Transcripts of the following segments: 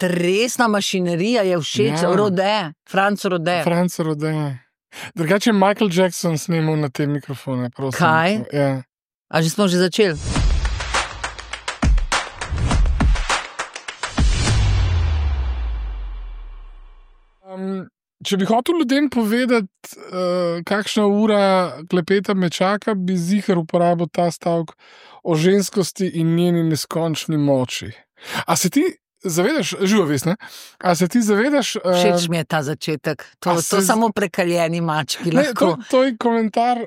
Resna mašinerija je všeč, Franc Rode. Drugače je Michael Jackson snimal na te mikrofone, prosim. Kaj? Ja. A že smo začeli? Če bi hotel ljudem povedati, kakšna ura klepeta me čaka, bi ziher uporabil ta stavek o ženskosti in njeni neskončni moči. A se ti zavedaš, živa vest, ne? A se ti zavedaš... Všeč mi je ta začetek. To samo prekaljeni mački lahko. To je komentar...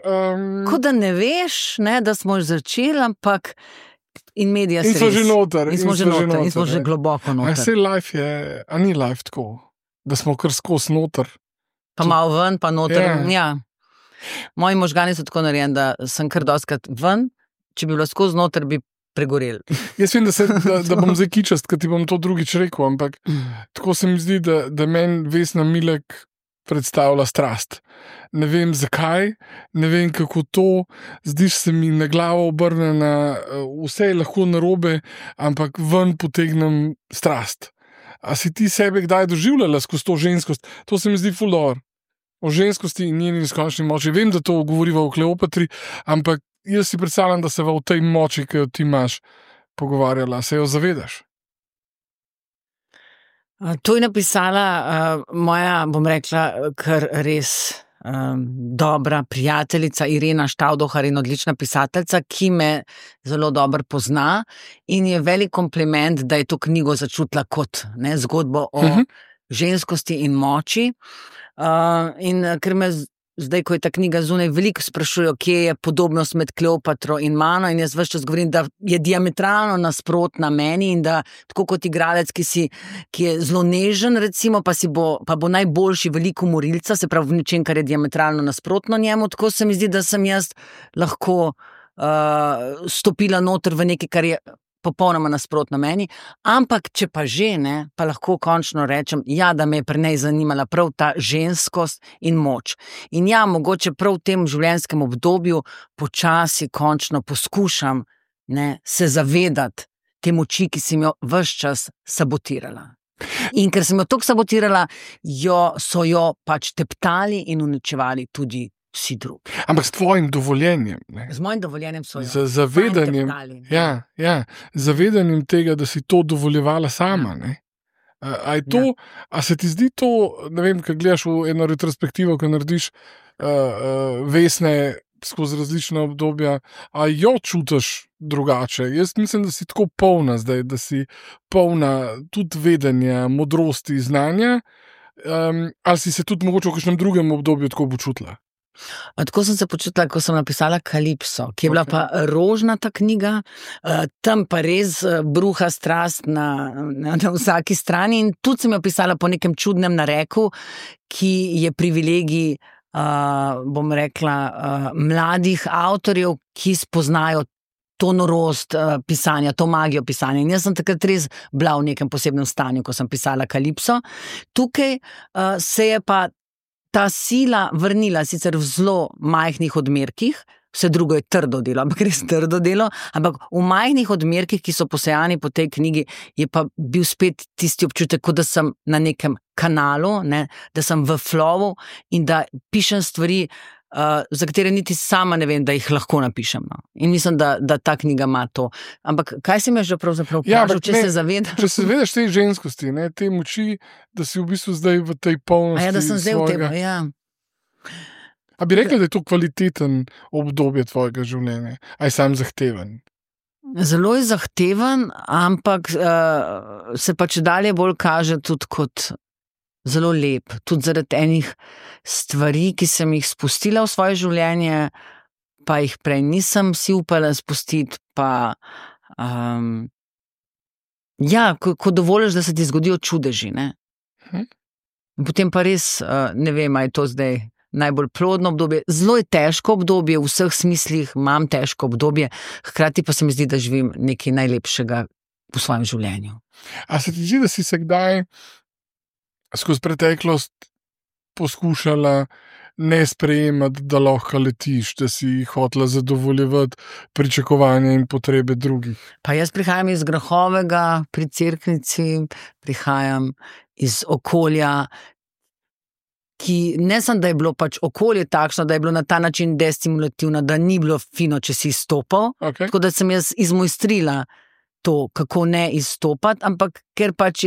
Ko da ne veš, ne, da smo začeli, ampak... In medija in so že noter. In smo že globoko noter. A ni life tako? Da smo kar skos noter. Pa malo ven, pa noter. Ja. Moji možgani so tako narejeni, da sem kar dostkrat ven, če bi bilo skos noter, bi pregorel. Jaz vem, da bom zdaj kičast, ker ti bom to drugič rekel, ampak tako se mi zdi, da meni Vesna Milek predstavlja strast. Ne vem zakaj, ne vem kako to, zdiš se mi na glavo obrnjena, vse je lahko narobe, ampak ven potegnem strast. A si ti sebe kdaj doživljala skozi to ženskost? To se mi zdi ful dobro. O ženskosti in njeni neskončni moči. Vem, da to govoriva o Kleopatri, ampak jaz si predstavljam, da se v tej moči, ki jo ti imaš, pogovarjala. Se jo zavedaš? To je napisala moja, bom rekla, kar res dobra prijateljica Irena Štavdohar in odlična pisateljica, ki me zelo dobro pozna in je velik kompliment, da je to knjigo začutila kot zgodbo o ženskosti in moči. In ker me zdaj, ko je ta knjiga zunaj, veliko sprašujejo, kje je podobnost med Kleopatro in mano, in jaz ves čas govorim, da je diametralno nasprotna meni in da tako kot igralec, ki je zelo nežen, recimo, pa bo najboljši veliko morilca, se pravi v nečem, kar je diametralno nasprotno njemu, tako se mi zdi, da sem jaz lahko stopila noter v nekaj, kar je popolnoma nasprotno meni, ampak če pa že ne, pa lahko končno rečem, da me je pri njej zanimala prav ta ženskost in moč. In mogoče prav v tem življenjskem obdobju počasi končno poskušam se zavedati te moči, ki sem jo ves čas sabotirala. In ker sem jo toliko sabotirala, so jo pač teptali in uničevali tudi vsi drugi. Ampak s tvojim dovoljenjem. Ne? Z mojim dovoljenjem so jo. Z zavedanjem. Zavedanjem tega, da si to dovoljevala sama. Ne? A se ti zdi to, ne vem, kad gledaš v eno retrospektivo, ko narediš Vesne skozi različna obdobja, a jo čutiš drugače? Jaz mislim, da si tako polna zdaj, da si polna tudi vedenja, modrosti, znanja, ali si se tudi mogoče v kakšnem drugem obdobju tako počutila? Tako sem se počutila, ko sem napisala Kalipso, ki je bila pa rožnata knjiga, tam pa res bruha strast na vsaki strani in tudi sem jo pisala po nekem čudnem nareku, ki je privilegij, bom rekla, mladih avtorjev, ki spoznajo to norost pisanja, to magijo pisanja. In jaz sem takrat res bila v nekem posebnem stanju, ko sem pisala Kalipso. Tukaj se je pa ta sila vrnila sicer v zelo majhnih odmerkih, vse drugo je trdo delo, ampak res trdo delo, ampak v majhnih odmerkih, ki so posejani po tej knjigi, je pa bil spet tisti občutek, kot da sem na nekem kanalu, da sem v flowu in da pišem stvari, za katere niti sama ne vem, da jih lahko napišem. No. In mislim, da ta knjiga ima to. Ampak kaj si me že pravzaprav vprašal, če se zavedaš? Če se zavedaš te ženskosti, te moči, da si v bistvu zdaj v tej polnosti da sem zdaj svojega... v tem, A bi rekla, da je to kvaliteten obdobje tvojega življenja? A je sam zahteven? Zelo je zahteven, ampak se pa čedalje bolj kaže tudi kot zelo lep, tudi zaradi enih stvari, ki sem jih spustila v svoje življenje, pa jih prej nisem si upala spustiti, pa ko dovoliš, da se ti zgodijo čudeži, ne? Potem pa res, ne vem, a je to zdaj najbolj plodno obdobje, zelo je težko obdobje, v vseh smislih imam težko obdobje, hkrati pa se mi zdi, da živim nekaj najlepšega v svojem življenju. A se ti zdi, da si se kdaj skozi preteklost poskušala ne sprejemati, da lahko letiš, da si hotela zadovoljevati pričakovanja in potrebe drugih. Pa jaz prihajam iz Grahovega pri Cerknici, prihajam iz okolja, ki ne samo, da je bilo pač okolje takšno, da je bilo na ta način destimulativno, da ni bilo fino, če si izstopal. Okay. Tako da sem jaz izmojstrila to, kako ne izstopati, ampak ker pač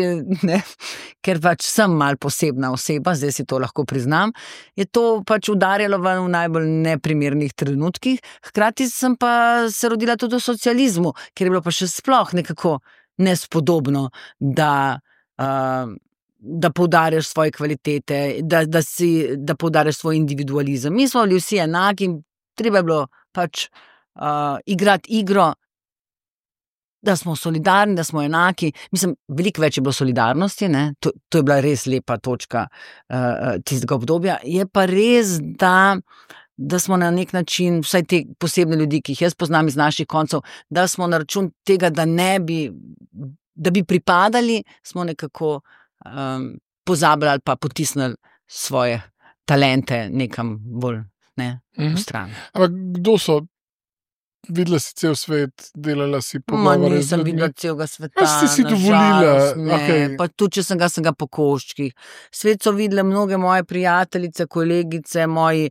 sem mal posebna oseba, zdaj si to lahko priznam, je to pač udarjalo v najbolj neprimernih trenutkih. Hkrati sem pa se rodila tudi v socializmu, ker je bilo pa še sploh nekako nespodobno, da poudarjaš svoje kvalitete, da poudarjaš svoj individualizem. Mi smo bili vsi enaki, treba je bilo pač igrati igro, da smo solidarni, da smo enaki. Mislim, veliko več je bilo solidarnosti, ne? To je bila res lepa točka tistega obdobja. Je pa res, da smo na nek način, vsaj te posebne ljudi, ki jih jaz poznam iz naših koncev, da smo na račun tega, da bi pripadali, smo nekako pozabili ali pa potisnili svoje talente nekam bolj v stran. Ampak kdo so? Videla si cel svet, delala si pogovore. Nisem videla celega sveta. Ste si dovolila? Okay. Pa tudi, če sem ga po koščkih. Svet so videle mnoge moje prijateljice, kolegice, moji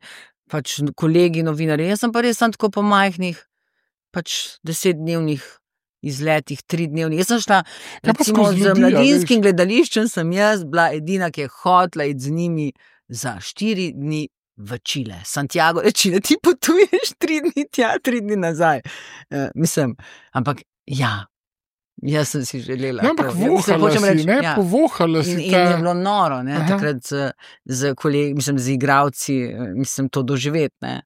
pač kolegi, novinarji. Jaz sem pa res tako po majhnih, pač 10-dnevnih izletih, 3-dnevnih. Jaz sem šla, recimo z Mladinskim gledališčem sem jaz bila edina, ki je hotela iti z njimi za 4 dni v Čile. Santiago je Čile, ti potuješ 3 dni tja, 3 dni nazaj. Ampak ja, jaz sem si želela. No, ampak povohala si. In je bilo noro, takrat z kolegi, z igralci, to doživeti, ne.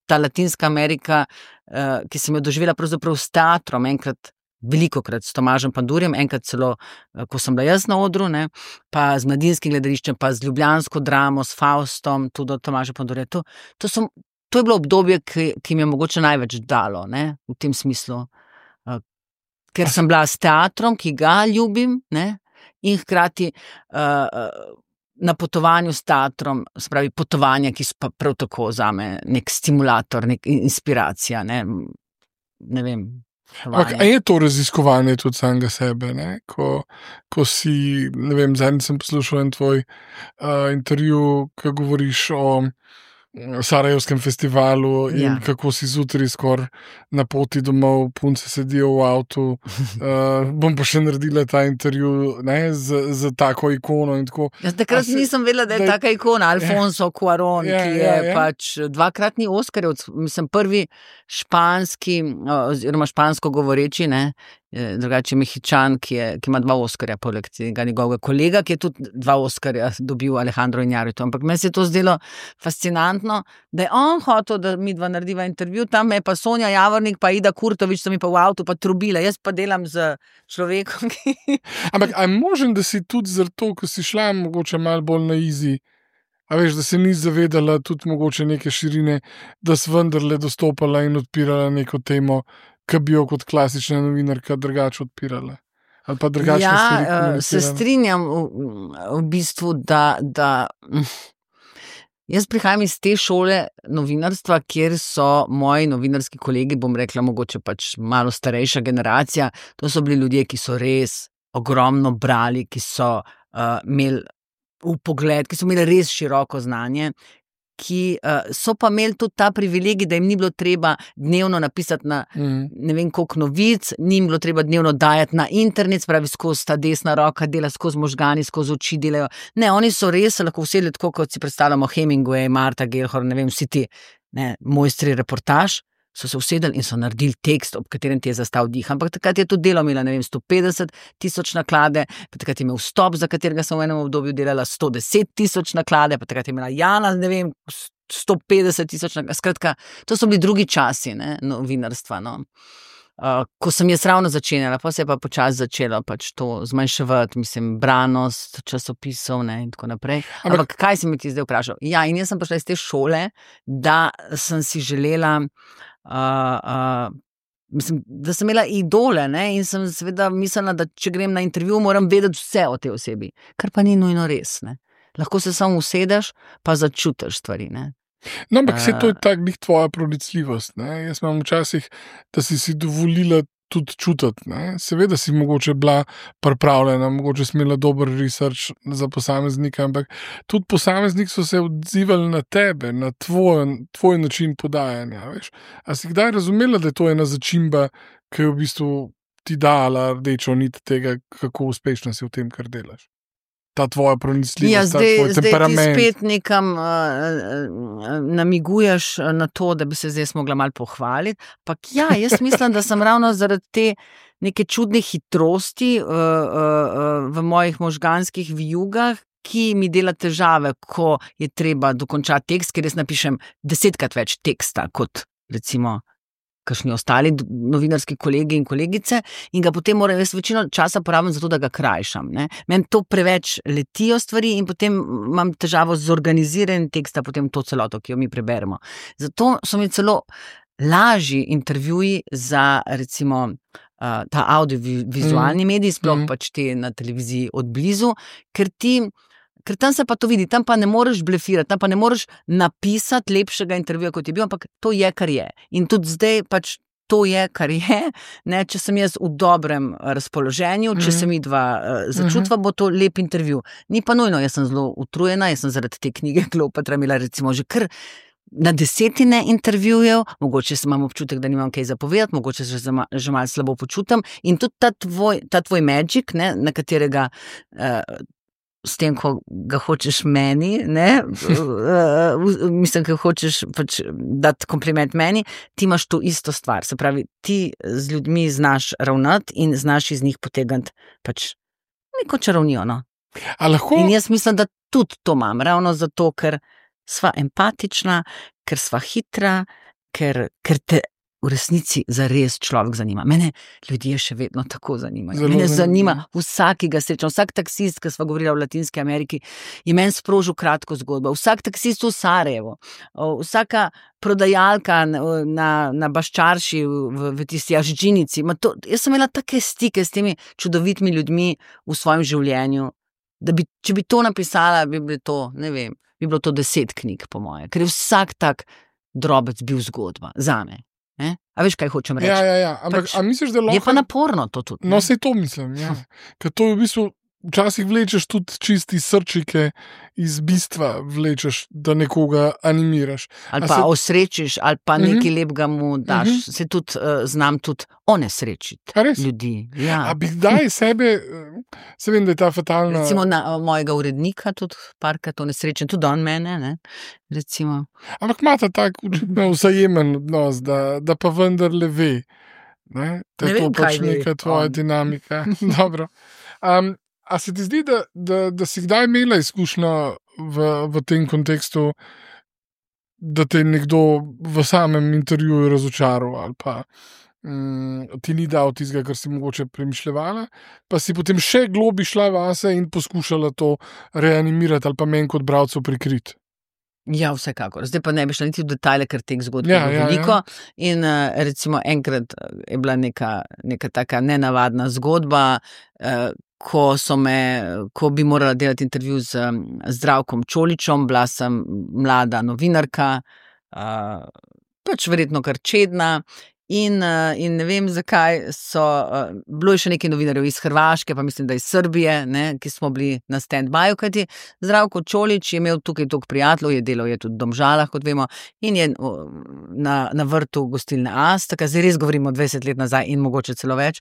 Ta Latinska Amerika, ki sem jo doživela pravzaprav s teatrom, enkrat, velikokrat s Tomažem Pandurjem, enkrat celo, ko sem bila jaz na odru, ne, pa z Mladinskim gledališčem, pa z ljubljansko dramo, s Faustom, tudi od Tomaža Pandurja. To je bilo obdobje, ki mi je mogoče največ dalo, ne, v tem smislu. Ker sem bila s teatrom, ki ga ljubim, ne, in hkrati na potovanju s teatrom, se pravi potovanja, ki so pa prav tako zame nek stimulator, nek inspiracija, ne vem. A je to raziskovanje tudi samega sebe, ne? Ko si, ne vem, zadnjič sem poslušal en tvoj intervju, ko govoriš o Sarajevskem festivalu in kako si zjutraj skoraj na poti domov, punce sedijo v avtu. Bom pa še naredila ta intervju, ne, z tako ikono in tako. Jaz takrat nisem vedela, da je taka ikona, Alfonso Cuarón, ki je pač 2-kratni Oskarjev, prvi španski, oziroma špansko govoreči, ne, drugače Mehičan, ki ima 2 Oskarja, poleg tega njegovega kolega, ki je tudi 2 Oskarja dobil, Alejandro Iñárritu. Ampak meni se je to zdelo fascinantno, da je on hotel, da mi dva narediva intervju, tam me je pa Sonja Javornik, pa Ida Kurtovič, so mi pa v avtu pa trubila, jaz pa delam z človekom, ki... Ampak a je možen, da si tudi zato, ko si šla mogoče malo bolj na easy, a veš, da se ni zavedala tudi mogoče neke širine, da si vendarle dostopala in odpirala neko temo, ki bi jo kot klasična novinarka drugače odpirala? Ali pa drugačne stvari komunicirala? Se strinjam v bistvu, da jaz prihajam iz te šole novinarstva, kjer so moji novinarski kolegi, bom rekla, mogoče pač malo starejša generacija, to so bili ljudje, ki so res ogromno brali, ki so imeli vpogled, ki so imeli res široko znanje, ki so pa imeli tudi ta privilegij, da jim ni bilo treba dnevno napisati na ne vem koliko novic, ni jim bilo treba dnevno dajati na internet, spravi skozi ta desna roka, dela skozi možgani, skozi oči delajo. Ne, oni so res lahko vsedeli tako, kot si predstavljamo Hemingway, Marta Gellhorn, ne vem, vsi ti mojstri reportaž, so se usedeli in so naredili tekst, ob katerem ti je zastal dih. Ampak takrat je to delo imela, ne vem, 150,000 naklade, pa takrat je imel Stop, za katerega sem v enem obdobju delala 110,000 naklade, pa takrat je imela Jana, ne vem, 150,000 naklade. Skratka, to so bili drugi časi, ne, novinarstva, no. Ko sem jaz ravno začenjala, pa se je pa počasi začelo pač to zmanjševati, branost časopisov, ne, in tako naprej. Ampak kaj si mi ti zdaj vprašal? Ja, in jaz sem prišla iz te šole, da sem si želela, da sem imela idole, ne, in sem seveda mislila, da če grem na intervju, moram vedeti vse o tej osebi, kar pa ni nujno res, ne. Lahko se samo usedeš, pa začutiš stvari, ne. No, ampak to je tak njih tvoja pronicljivost, ne. Jaz imam včasih, da si dovolila tudi čutiti, ne. Seveda si mogoče bila pripravljena, mogoče si imela dober research za posameznika, ampak tudi posameznik so se odzivali na tebe, na tvoj način podajanja, veš. A si kdaj razumela, da je to ena začimba, ki je v bistvu ti dala rdečo nit tega, kako uspešna si v tem, kar delaš? Ta tvoja pronicljivost, ta tvoj temperament. Zdaj ti spet nekam namiguješ na to, da bi se zdaj mogla malo pohvaliti. Pak jaz mislim, da sem ravno zaradi te neke čudne hitrosti v mojih možganskih vijugah, ki mi dela težave, ko je treba dokončati tekst, ker jaz napišem 10-krat več teksta, kot recimo kakšni ostali novinarski kolegi in kolegice, in ga potem moram jaz večino časa porabim za to, da ga krajšam, ne. Meni to preveč letijo stvari in potem imam težavo z organiziranjem teksta, potem to celoto, ki jo mi preberemo. Zato so mi celo lažji intervjuji za recimo ta audiovizualni medij, sploh pač te na televiziji od blizu, ker tam se pa to vidi, tam pa ne moreš blefirati, tam pa ne moreš napisati lepšega intervjuja, kot je bil, ampak to je, kar je. In tudi zdaj pač to je, kar je, ne, če sem jaz v dobrem razpoloženju, če se mi dva začutva, bo to lep intervju. Ni pa nujno, jaz sem zelo utrujena, jaz sem zaradi te knjige Kleopatra imela recimo že kar na 10 intervjujev, mogoče imam občutek, da nimam kaj zapovedati, mogoče se že malo slabo počutim in tudi ta tvoj magic, ne, na katerega s tem, ko ga hočeš meni, ne, mislim, ko hočeš pač dati kompliment meni, ti imaš to isto stvar, se pravi, ti z ljudmi znaš ravnati in znaš iz njih potegniti pač neko čarovnijo, no. In jaz mislim, da tudi to imam, ravno zato, ker sva empatična, ker sva hitra, ker te v resnici zares človek zanima. Mene ljudje še vedno tako zanimajo. Mene zanima vsak, ki ga srečam. Vsak taksist, ki sva govorila v Latinski Ameriki, je meni sprožil kratko zgodbo. Vsak taksist v Sarajevu, vsaka prodajalka na Baščarši v tisti Aždžinici. Jaz sem imela take stike s temi čudovitimi ljudmi v svojem življenju, da če bi to napisala, bi bilo to, ne vem, bi bilo to 10 knjig, po moje. Ker je vsak tak drobec bil zgodba zame. A veš, kaj hočem reči? Ja. Ampak, a misliš, da lahko... Je pa naporno to tudi. No, sej to mislim, ja. Ker to v bistvu včasih vlečeš tudi čisti srčike iz bistva vlečeš, da nekoga animiraš. Ali pa osrečiš, ali pa nekaj lepega mu daš. Se tudi znam tudi onesrečiti ljudi. Ja. A bi kdaj sebe, se vem, da je ta fatalna... Recimo na mojega urednika tudi parkrat onesrečen, tudi on mene, ne, recimo. Ampak imata tak vzajemen odnos, da pa vendarle ve, ne, da je to pač neka tvoja dinamika. Dobro. A se ti zdi, da si kdaj imela izkušnjo v tem kontekstu, da te nekdo v samem intervjuju razočaral ali pa ti ni dal tistega, kar si mogoče premišljevala, pa si potem še globi šla vase in poskušala to reanimirati ali pa meni kot bralcu prikriti? Ja, vsekakor. Zdaj pa ne bi šla niti v detajle, ker teh zgodb je veliko. In recimo enkrat je bila neka taka nenavadna zgodba, ko bi morala delati intervju z Zdravkom Čoličem, bila sem mlada novinarka, pač verjetno kar čedna. In ne vem, zakaj bilo je še nekaj novinarjev iz Hrvaške, pa mislim, da iz Srbije, ne, ki smo bili na stand-byju, kajti Zdravko Čolič je imel tukaj toliko prijateljev, je delal je tudi v Domžalah, kot vemo, in je na vrtu gostilne Asta, zdaj res govorimo 20 let nazaj in mogoče celo več.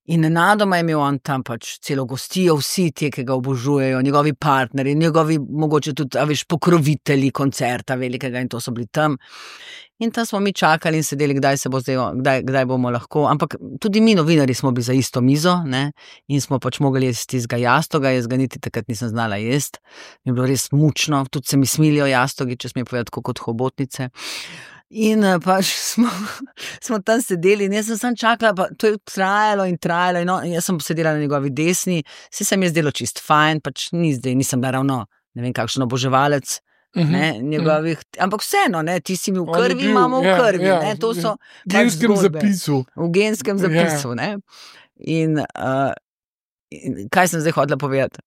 In nenadoma je imel on tam pač celo gostijo, vsi ti, ki ga obožujejo, njegovi partnerji, njegovi mogoče tudi, pokrovitelji koncerta velikega in to so bili tam. In tam smo mi čakali in sedeli, kdaj bomo lahko, ampak tudi mi novinarji smo bili za isto mizo, ne, in smo pač mogli jesti tistega jastoga, jaz ga niti takrat nisem znala jesti, mi je bilo res mučno, tudi se mi smilijo jastogi, če smem povedati, kot hobotnice. In pač smo tam sedeli in jaz sem sam čakala, pa to je trajalo in jaz sem sedela na njegovi desni, se mi je zdelo čist fajn, pač nisem bila ravno, ne vem, kakšen oboževalec, ne, njegovih, ampak vseeno, ne, ti si mi v krvi, imamo v krvi, ne, to so genskem zapisu. V genskem zapisu, ne. In kaj sem zdaj hotela povedati?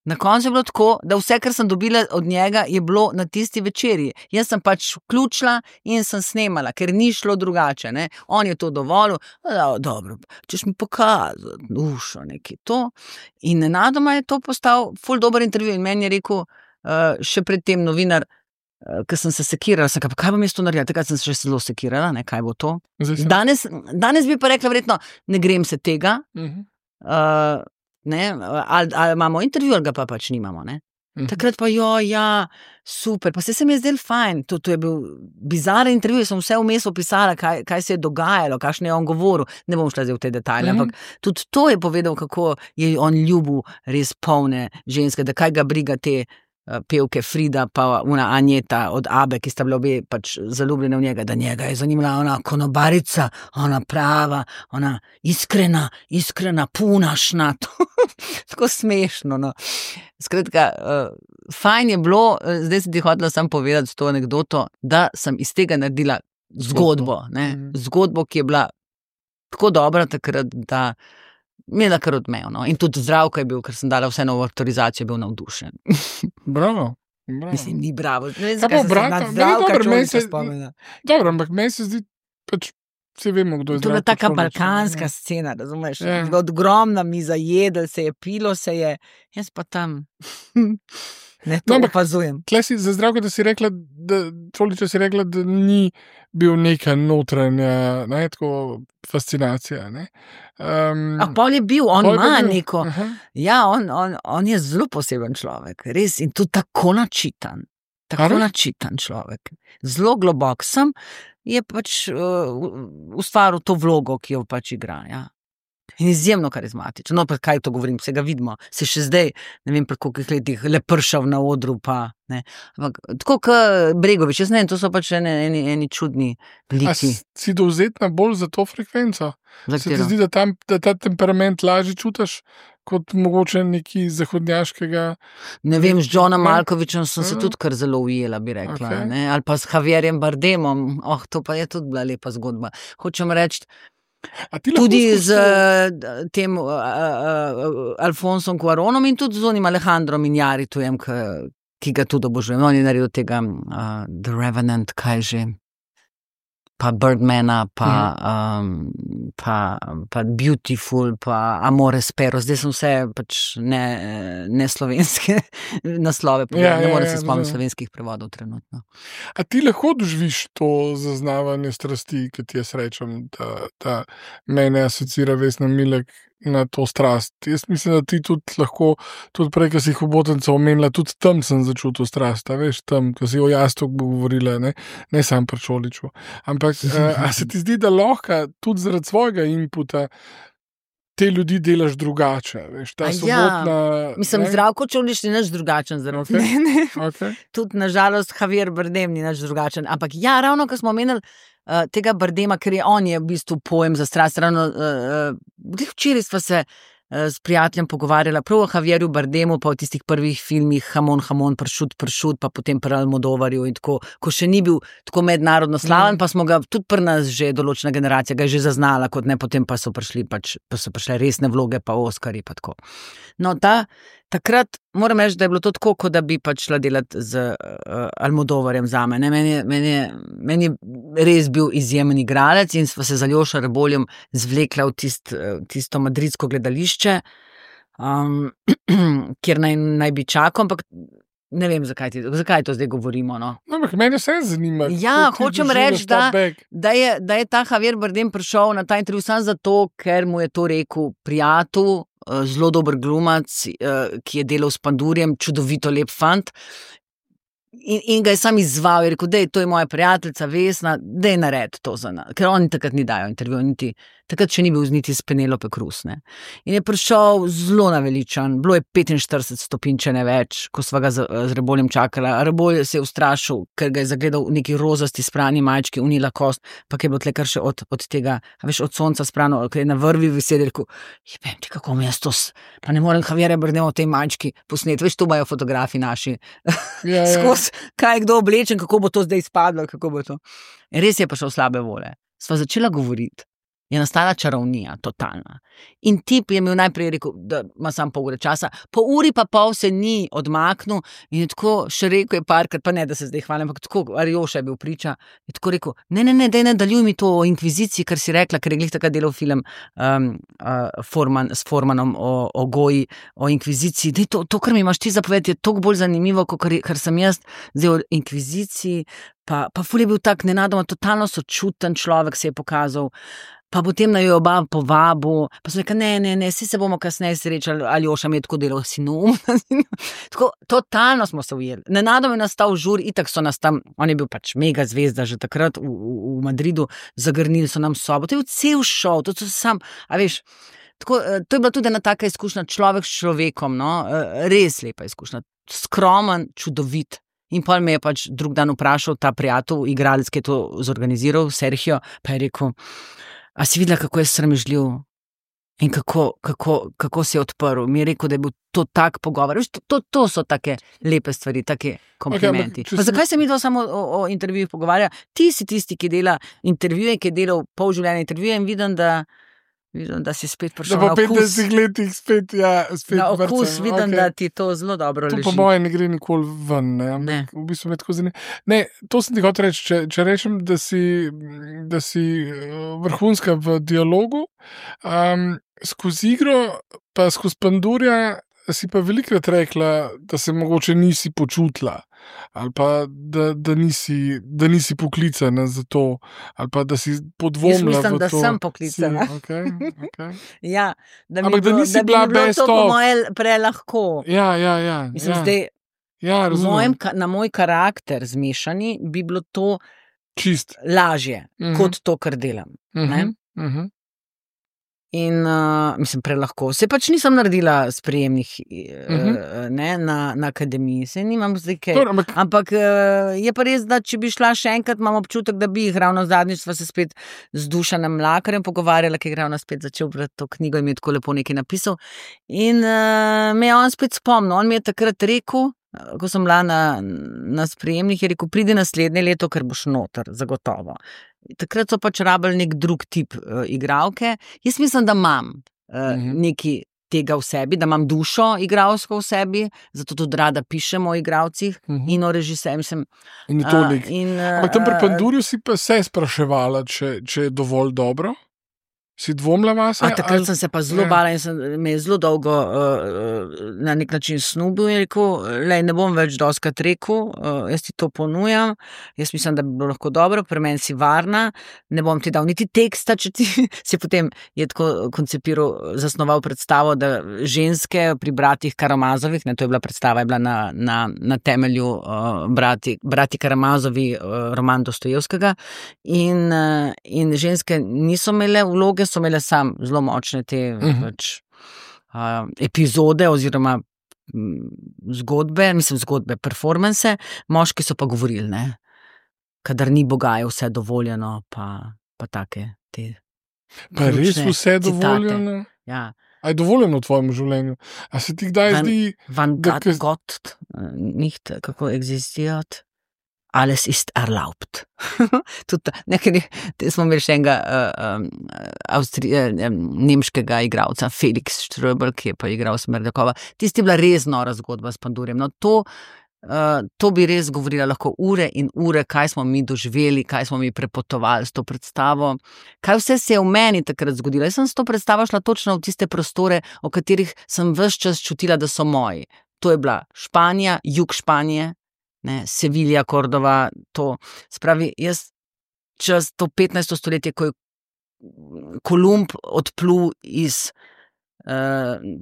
Na koncu je bilo tako, da vse, kar sem dobila od njega, je bilo na tisti večerji. Jaz sem pač vključila in sem snemala, ker ni šlo drugače. Ne? On je to dovolil, dobro, češ mi pokazati, dušo, nekaj to. In nenadoma je to postal ful dober intervju in meni je rekel, še predtem novinar, ker sem se sekirala, sem kaj bom jaz to naredila, takrat sem se še zelo sekirala, ne, kaj bo to. Danes bi pa rekla verjetno, ne grem se tega, ne, ali imamo intervju, ali ga pa pač nimamo, ne. Takrat pa super, pa se mi je zdel fajn, to je bil bizaren intervju, sem vse vmes opisala, kaj se je dogajalo, kakšne je on govoril, ne bom šla zdaj v te detajle, ampak tudi to je povedal, kako je on ljubil res polne ženske, da kaj ga briga te pevke Frida pa una Anjeta od Abe, ki sta bile obe pač zaljubljene v njega, da njega je zanimala ona konobarica, ona prava, ona iskrena, punašna, tako smešno, no. Skratka, fajn je bilo, zdaj sem ti hotela samo povedati to anekdoto, da sem iz tega naredila zgodbo, ne, zgodbo, ki je bila tako dobra takrat, da imela kar odmev, no. In tudi Zdravko je bil, ker sem dala vse novo avtorizacijo, je bil navdušen. Bravo. Mislim, ni bravo. Ne vem, zakaj se sem Zdravka čovjeka spomnila. Dobro, ampak meni se zdi, pač vsi vemo, kdo je Zdravko. To je taka balkanska scena, razumeš? Ogromna miza, jedel se je, pilo se je, jaz pa tam ne to opazujem. Tle si za Zdravka, da si rekla, da ni bil neka notranja, ne, tako fascinacija, ne. Pol je bil, on ima neko, on je zelo poseben človek, res, in tudi tako načitan človek, zelo globok sem, je pač ustvaril to vlogo, ki jo pač igra, in izjemno karizmatičen, no pa kaj to govorim, se ga vidimo, se še zdaj, ne vem, pri kolikih letih lepršav na odru, pa, ne, ampak tako kot Bregović, jaz ne vem, to so pač eni čudni liki. A si dovzetna bolj za to frekvenco? Se ti zdi, da ta temperament lažje čutiš, kot mogoče neki zahodnjaškega? Ne vem, z Johnom Malkovičem sem se tudi kar zelo ujela, bi rekla, ne, ali pa s Javierjem Bardemom, to pa je tudi bila lepa zgodba. Hočem reči, tudi z tem Alfonsom Cuaronom in tudi z onim Alejandrom Inarritujem, ki ga tudi obožujem. On je naredil tega The Revenant, kaj že, pa Birdmana, pa Beautiful, pa Amore Spero. Zdaj sem vse pač ne slovenske naslove, ne morem se spomniti slovenskih prevodov trenutno. A ti lahko doživiš to zaznavanje strasti, ki ti jaz rečem, da mene asocira Vesna Milek na to strast. Jaz mislim, da ti tudi lahko, tudi prej, ko si jih obotenca omenila, tudi tam sem začutil strast, veš, tam, ko si o Jastok govorila, ne sam pri Čoliču. Ampak, a se ti zdi, da lahko tudi zaradi svojega inputa te ljudi delaš drugače, veš, ta sobotna... Mislim, Zdravko Čolič ni nič drugačen zaradi mene. Tudi, nažalost, Javier Bardem ni nič drugačen. Ampak ravno, ko smo omenili tega Bardema, ker on je v bistvu pojem za strast, ravno včeraj sva se s prijateljem pogovarjala prav o Javierju Bardemu, pa o tistih prvih filmih Hamon, pršut, pa potem pri Almodovarju in tako, ko še ni bil tako mednarodno slaven, pa smo ga tudi pri nas že določena generacija ga je že zaznala, kot ne, potem pa so prišle resne vloge, pa Oskarji, pa tako. No, takrat moram reči, da je bilo to tako, kot da bi pač šla delati z Almodovarjem zame. Meni je res bil izjemen igralec in sva se z Aljošo Reboljem zvlekla v tisto madridsko gledališče, kjer naj bi čakal, ampak ne vem, zakaj to zdaj govorimo. No. Ampak meni se zanima. Ja, hočem reči, da je ta Javier Bardem prišel na ta intervju samo zato, ker mu je to rekel prijatelj, zelo dober glumac, ki je delal s Pandurjem, čudovito lep fant. In ga je sam izzval, je rekel, to je moja prijateljica Vesna, daj naredi to za nas. Ker oni takrat ni dajo intervju, takrat še ni bil niti s Penelope Cruz, ne. In je prišel zelo naveličan, bilo je 45 stopinj, če ne več, ko sva ga z Reboljem čakala. Rebolj se je ustrašil, ker ga je zagledal v neki rozasti sprani majčki, unila kost, pa je bilo tle kar še od tega, veš, od sonca sprano, ker je na vrvi visel, rekel, jebem ti, kako mi je to, pa ne morem Javierja Bardema v tej majčki posneti, veš, tu imajo fotografi naši, skozi, kaj je kdo oblečen, kako bo to zdaj izpadlo, kako bo to. In res je pa šel slabe vole. Sva začela govoriti. je nastala čarovnija, totalna. In tip je imel najprej rekel, da ima samo pol ure časa, po uri pa pol se ni odmaknil in je tako še rekel, je parkrat, pa ne, da se zdaj hvalim, ampak tako, Arjoša je bil priča, je tako rekel, ne, daj nadaljuj mi to o inkviziciji, kar si rekla, ker je glih takrat delal film s Formanom o goji, o inkviziciji, daj to, kar mi imaš ti zapovedati, je toliko bolj zanimivo, kot kar sem jaz zdaj o inkviziciji, pa ful je bil tak nenadoma totalno sočuten človek, se je pokazal. Pa potem na jo oba povabu, pa so rekli, ne, vsi se bomo kasneje srečali, Aljoša mi je tako delal, si neumna. Tako, totalno smo se ujeli. Nenadoma je nastal žur, itak so nas tam, on je bil pač mega zvezda že takrat v Madridu, zagrnili so nam sobo, to je cel šov, to so sam, a veš, tako, to je bila tudi ena taka izkušnja, človek s človekom, no, res lepa izkušnja, skromen, čudovit. In pol me je pač drug dan vprašal ta prijatelj, igralec, ki je to zorganiziral, Sergio, pa je rekel, a si videla, kako je sramežljiv in kako se je odprl. Mi je rekel, da je bil to tak pogovor. To so take lepe stvari, take komplimenti. Okay, zakaj se mi to samo o intervjujih pogovarja? Ti si tisti, ki dela intervjuje, ki je delal pol življenja intervjuje in vidim, da si spet prišel na okus. Da po 50 letih spet na okus, vidim, okay. Da ti to zelo dobro leži. To po moje ne gre nikoli ven, ne. V bistvu me tako zanima. Ne, to sem ti hotel reči, če rečem, da si vrhunska v dialogu, skozi igro, pa skozi Pandurja, si pa velikrat rekla, da se mogoče nisi počutila, ali pa da nisi poklicana za to, ali pa da si podvomila v to. Jaz mislim, da sem poklicana. Okay. Ja, da bi bilo to po moje prelahko. Ja. Mislim, zdaj, na moj karakter zmešani bi bilo to čist lažje, kot to, kar delam. In mislim, prelahko. Se pač nisem naredila sprejemnih na akademiji, se nimam zdaj kaj. Ampak je pa res, da če bi šla še enkrat, imam občutek, da bi jih ravno zadnjič sva se spet z Dušanom Mlakarjem pogovarjala, ki je ravno spet začel brati to knjigo in mi je tako lepo nekaj napisal. In me je on spet spomnil, on mi je takrat rekel, ko sem bila na sprejemnih, je rekel, pridi naslednje leto, ker boš noter, zagotovo. Takrat so pač rabili nek drug tip igralke. Jaz mislim, da imam nekaj tega v sebi, da imam dušo igralsko v sebi, zato tudi rada pišem o igralcih in o režiserju. In je toliko. Ampak tam pri Pandurju si pa se spraševala, če je dovolj dobro? Si dvomila vase? Takrat sem se pa zelo bala in me je zelo dolgo na nek način snubil in rekel, ne bom več doskrat rekel, jaz ti to ponujam, jaz mislim, da bi bilo lahko dobro, pri meni si varna, ne bom ti dal niti teksta, če ti si potem je tako koncipiral, zasnoval predstavo, da ženske pri bratih Karamazovih, to je bila predstava, je bila na temelju brati Karamazovi, roman Dostojevskega in ženske niso imele vloge, so imele sam zelo močne te epizode oziroma zgodbe, performance, moški so pa govorili, ne, kadar ni Boga, je vse dovoljeno, pa take te. Pa res vse dovoljeno? Ja. A je dovoljeno v tvojem življenju? A se ti kdaj zdi... Van Gott nicht, kako existirat? Alles ist erlaubt. Nekaj smo imeli še enega nemškega igralca, Felix Ströbel, ki je pa igral Smerdakova. Tisti je bila res nora zgodba s Pandurjem. No, to bi res govorila lahko ure in ure, kaj smo mi doživeli, kaj smo mi prepotovali s to predstavo, kaj vse se je v meni takrat zgodilo. Jaz sem s to predstavo šla točno v tiste prostore, o katerih sem ves čas čutila, da so moji. To je bila Španija, jug Španije, Sevilja, Kordova, to. Spravi, jaz čez to 15. stoletje, ko je Kolumb odplul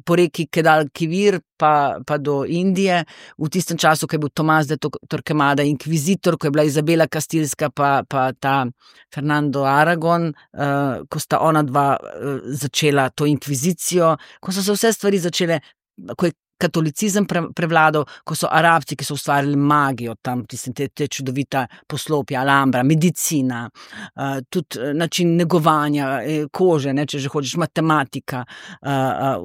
po reki Kedalkivir pa do Indije, v tistem času, ko je bil Tomás de Torquemada inkvizitor, ko je bila Izabela Kastilska pa ta Fernando Aragon, ko sta ona dva začela to inkvizicijo, ko so se vse stvari začele, ko je katolicizem prevladal, ko so Arabci, ki so ustvarili magijo, tam te čudovita poslopja, Alhambra, medicina, tudi način negovanja kože, če že hočeš, matematika,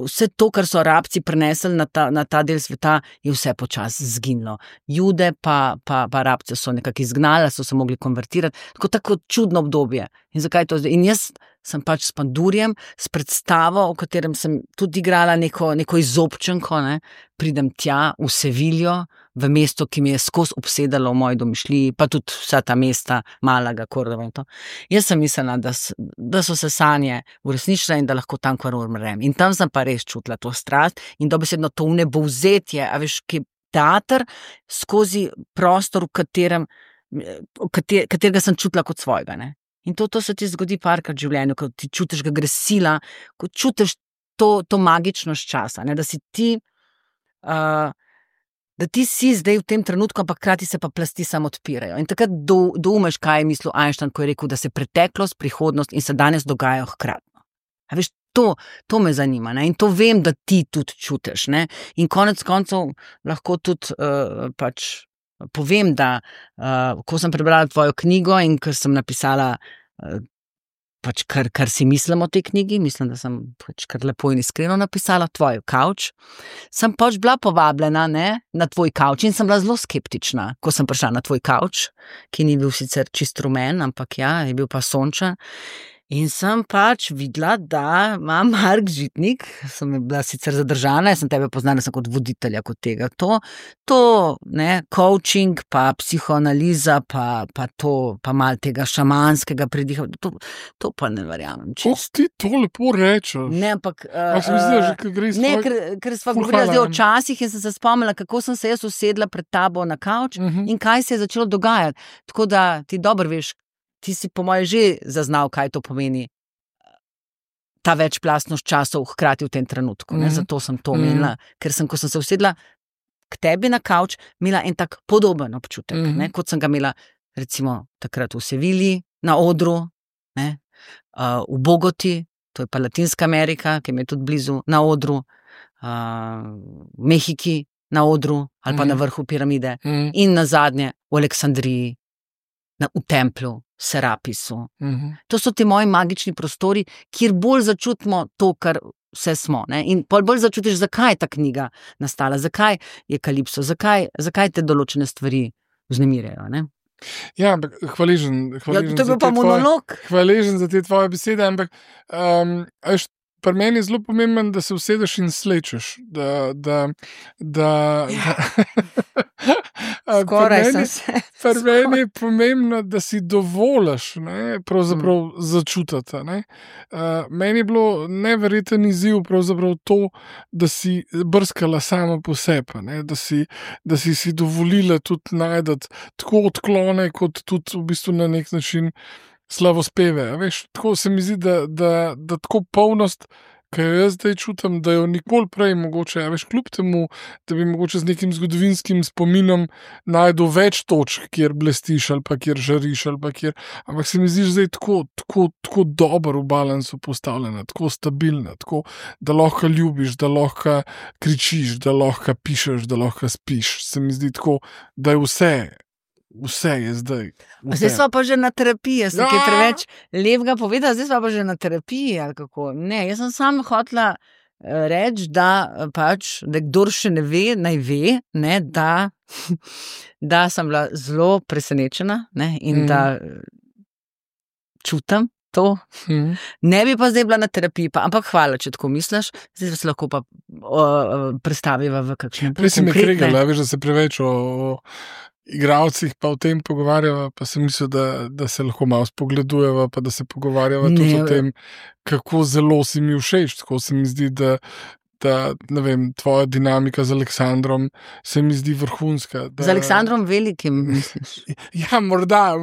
vse to, kar so Arabci prenesli na ta del sveta, je vse počasi zginilo. Jude pa Arabce so nekako izgnali, so se mogli konvertirati, tako čudno obdobje. In zakaj to zdaj? In jaz sem pač s Pandurjem, s predstavo, v katerem sem tudi igrala neko izobčenko, ne? Pridem tja v Seviljo, v mesto, ki mi je skozi obsedalo v moji domišljiji, pa tudi vsa ta mesta, Malaga, Cordova in to. Jaz sem mislila, da so se sanje uresničile in da lahko tam kar umrem. In tam sem pa res čutila to strast in dobesedno to vnebovzetje, a veš, ki teater skozi prostor, katerega sem čutila kot svojega, ne. In to se ti zgodi parkrat v življenju, ko ti čutiš, ga gre sila, ko čutiš to magičnost časa, ne, da si ti, da ti si zdaj v tem trenutku, ampak hkrati se pa plasti samo odpirajo. In takrat doumeš, kaj je mislil Einstein, ko je rekel, da se preteklost, prihodnost in se danes dogajajo hkratno. A veš, to me zanima, ne? In to vem, da ti tudi čutiš, ne? In konec koncev lahko tudi pač povem, da ko sem prebrala tvojo knjigo in ker sem napisala pač kar si mislim o tej knjigi, mislim, da sem pač kar lepo in iskreno napisala tvoj kavč, sem pač bila povabljena, ne, na tvoj kavč in sem bila zelo skeptična, ko sem prišla na tvoj kavč, ki ni bil sicer čist rumen, ampak ja, je bil pa sončen. In sem pač videla, da ima Mark Žitnik, sem bila sicer zadržana, jaz sem tebe poznala sem kot voditelja kot tega, to, ne, coaching, pa psihoanaliza, pa to, pa malo tega šamanskega pridiha, to pa ne verjamem. Kako ti to lepo rečeš? Ne, ampak... Ne, ker sva govorila zdaj o časih in sem se spomnila, kako sem se jaz usedla pred tabo na kavč in kaj se je začelo dogajati. Tako da ti dobro veš, ti si po moje že zaznal, kaj to pomeni ta večplastnost časov hkrati v tem trenutku. Ne? Zato sem to omenila, ker sem, ko sem se usedla k tebi na kavč, imela en tak podoben občutek, ne? Kot sem ga imela recimo takrat v Sevilji na odru, ne? V Bogoti, to je pa Latinska Amerika, ki mi je tudi blizu, na odru, v Mehiki na odru ali pa na vrhu piramide in nazadnje v Aleksandriji, v templju, Serapisu. To so ti moji magični prostori, kjer bolj začutimo to, kar vse smo. Ne? In bolj začutiš, zakaj je ta knjiga nastala, zakaj je Kalipso, zakaj te določene stvari vznemirjajo. Ne? Ja, ampak hvaležen to je bil pa monolog. Hvaležen za te tvoje besede, ampak pri meni je zelo pomemben, da se usedeš in slečeš. Skoraj sem se. Pri meni je pomembno, da si dovoliš, ne, pravzaprav začutiti. Ne. Meni je bilo neverjeten izziv pravzaprav to, da si brskala sama po sebi, ne, da si dovolila tudi najdati tako odklone, kot tudi v bistvu na nek način slavospeve. Veš, tako se mi zdi, da tako polnost, ki jo jaz zdaj čutim, da jo nikoli prej mogoče, veš, kljub temu, da bi mogoče z nekim zgodovinskim spominom najdel več točk, kjer blestiš ali pa kjer žariš ali pa kjer, ampak se mi zdi zdaj tako dobro v balansu postavljena, tako stabilna, tako, da lahko ljubiš, da lahko kričiš, da lahko pišeš, da lahko spiš. Se mi zdi tako, da je vse je zdaj. Zdaj smo pa že na terapiji, jaz sem kaj preveč lepega povedala, zdaj smo pa že na terapiji, ali kako. Ne, jaz sem samo hotela reči, da pač, da kdor še ne ve, naj ve, ne, da sem bila zelo presenečena, ne, in da čutim to. Ne bi pa zdaj bila na terapiji, ampak hvala, če tako misliš, zdaj se lahko pa predstaviva v kakšne konkretne. Prej si me kregala, veš, da se preveč o igralcih pa o tem pogovarjava, pa sem mislil, da se lahko malo spogledujeva, pa da se pogovarjava tudi o tem, kako zelo si mi všeč, tako se mi zdi, da ne vem, tvoja dinamika z Aleksandrom se mi zdi vrhunska. Z Aleksandrom Velikim, misliš? Ja, morda.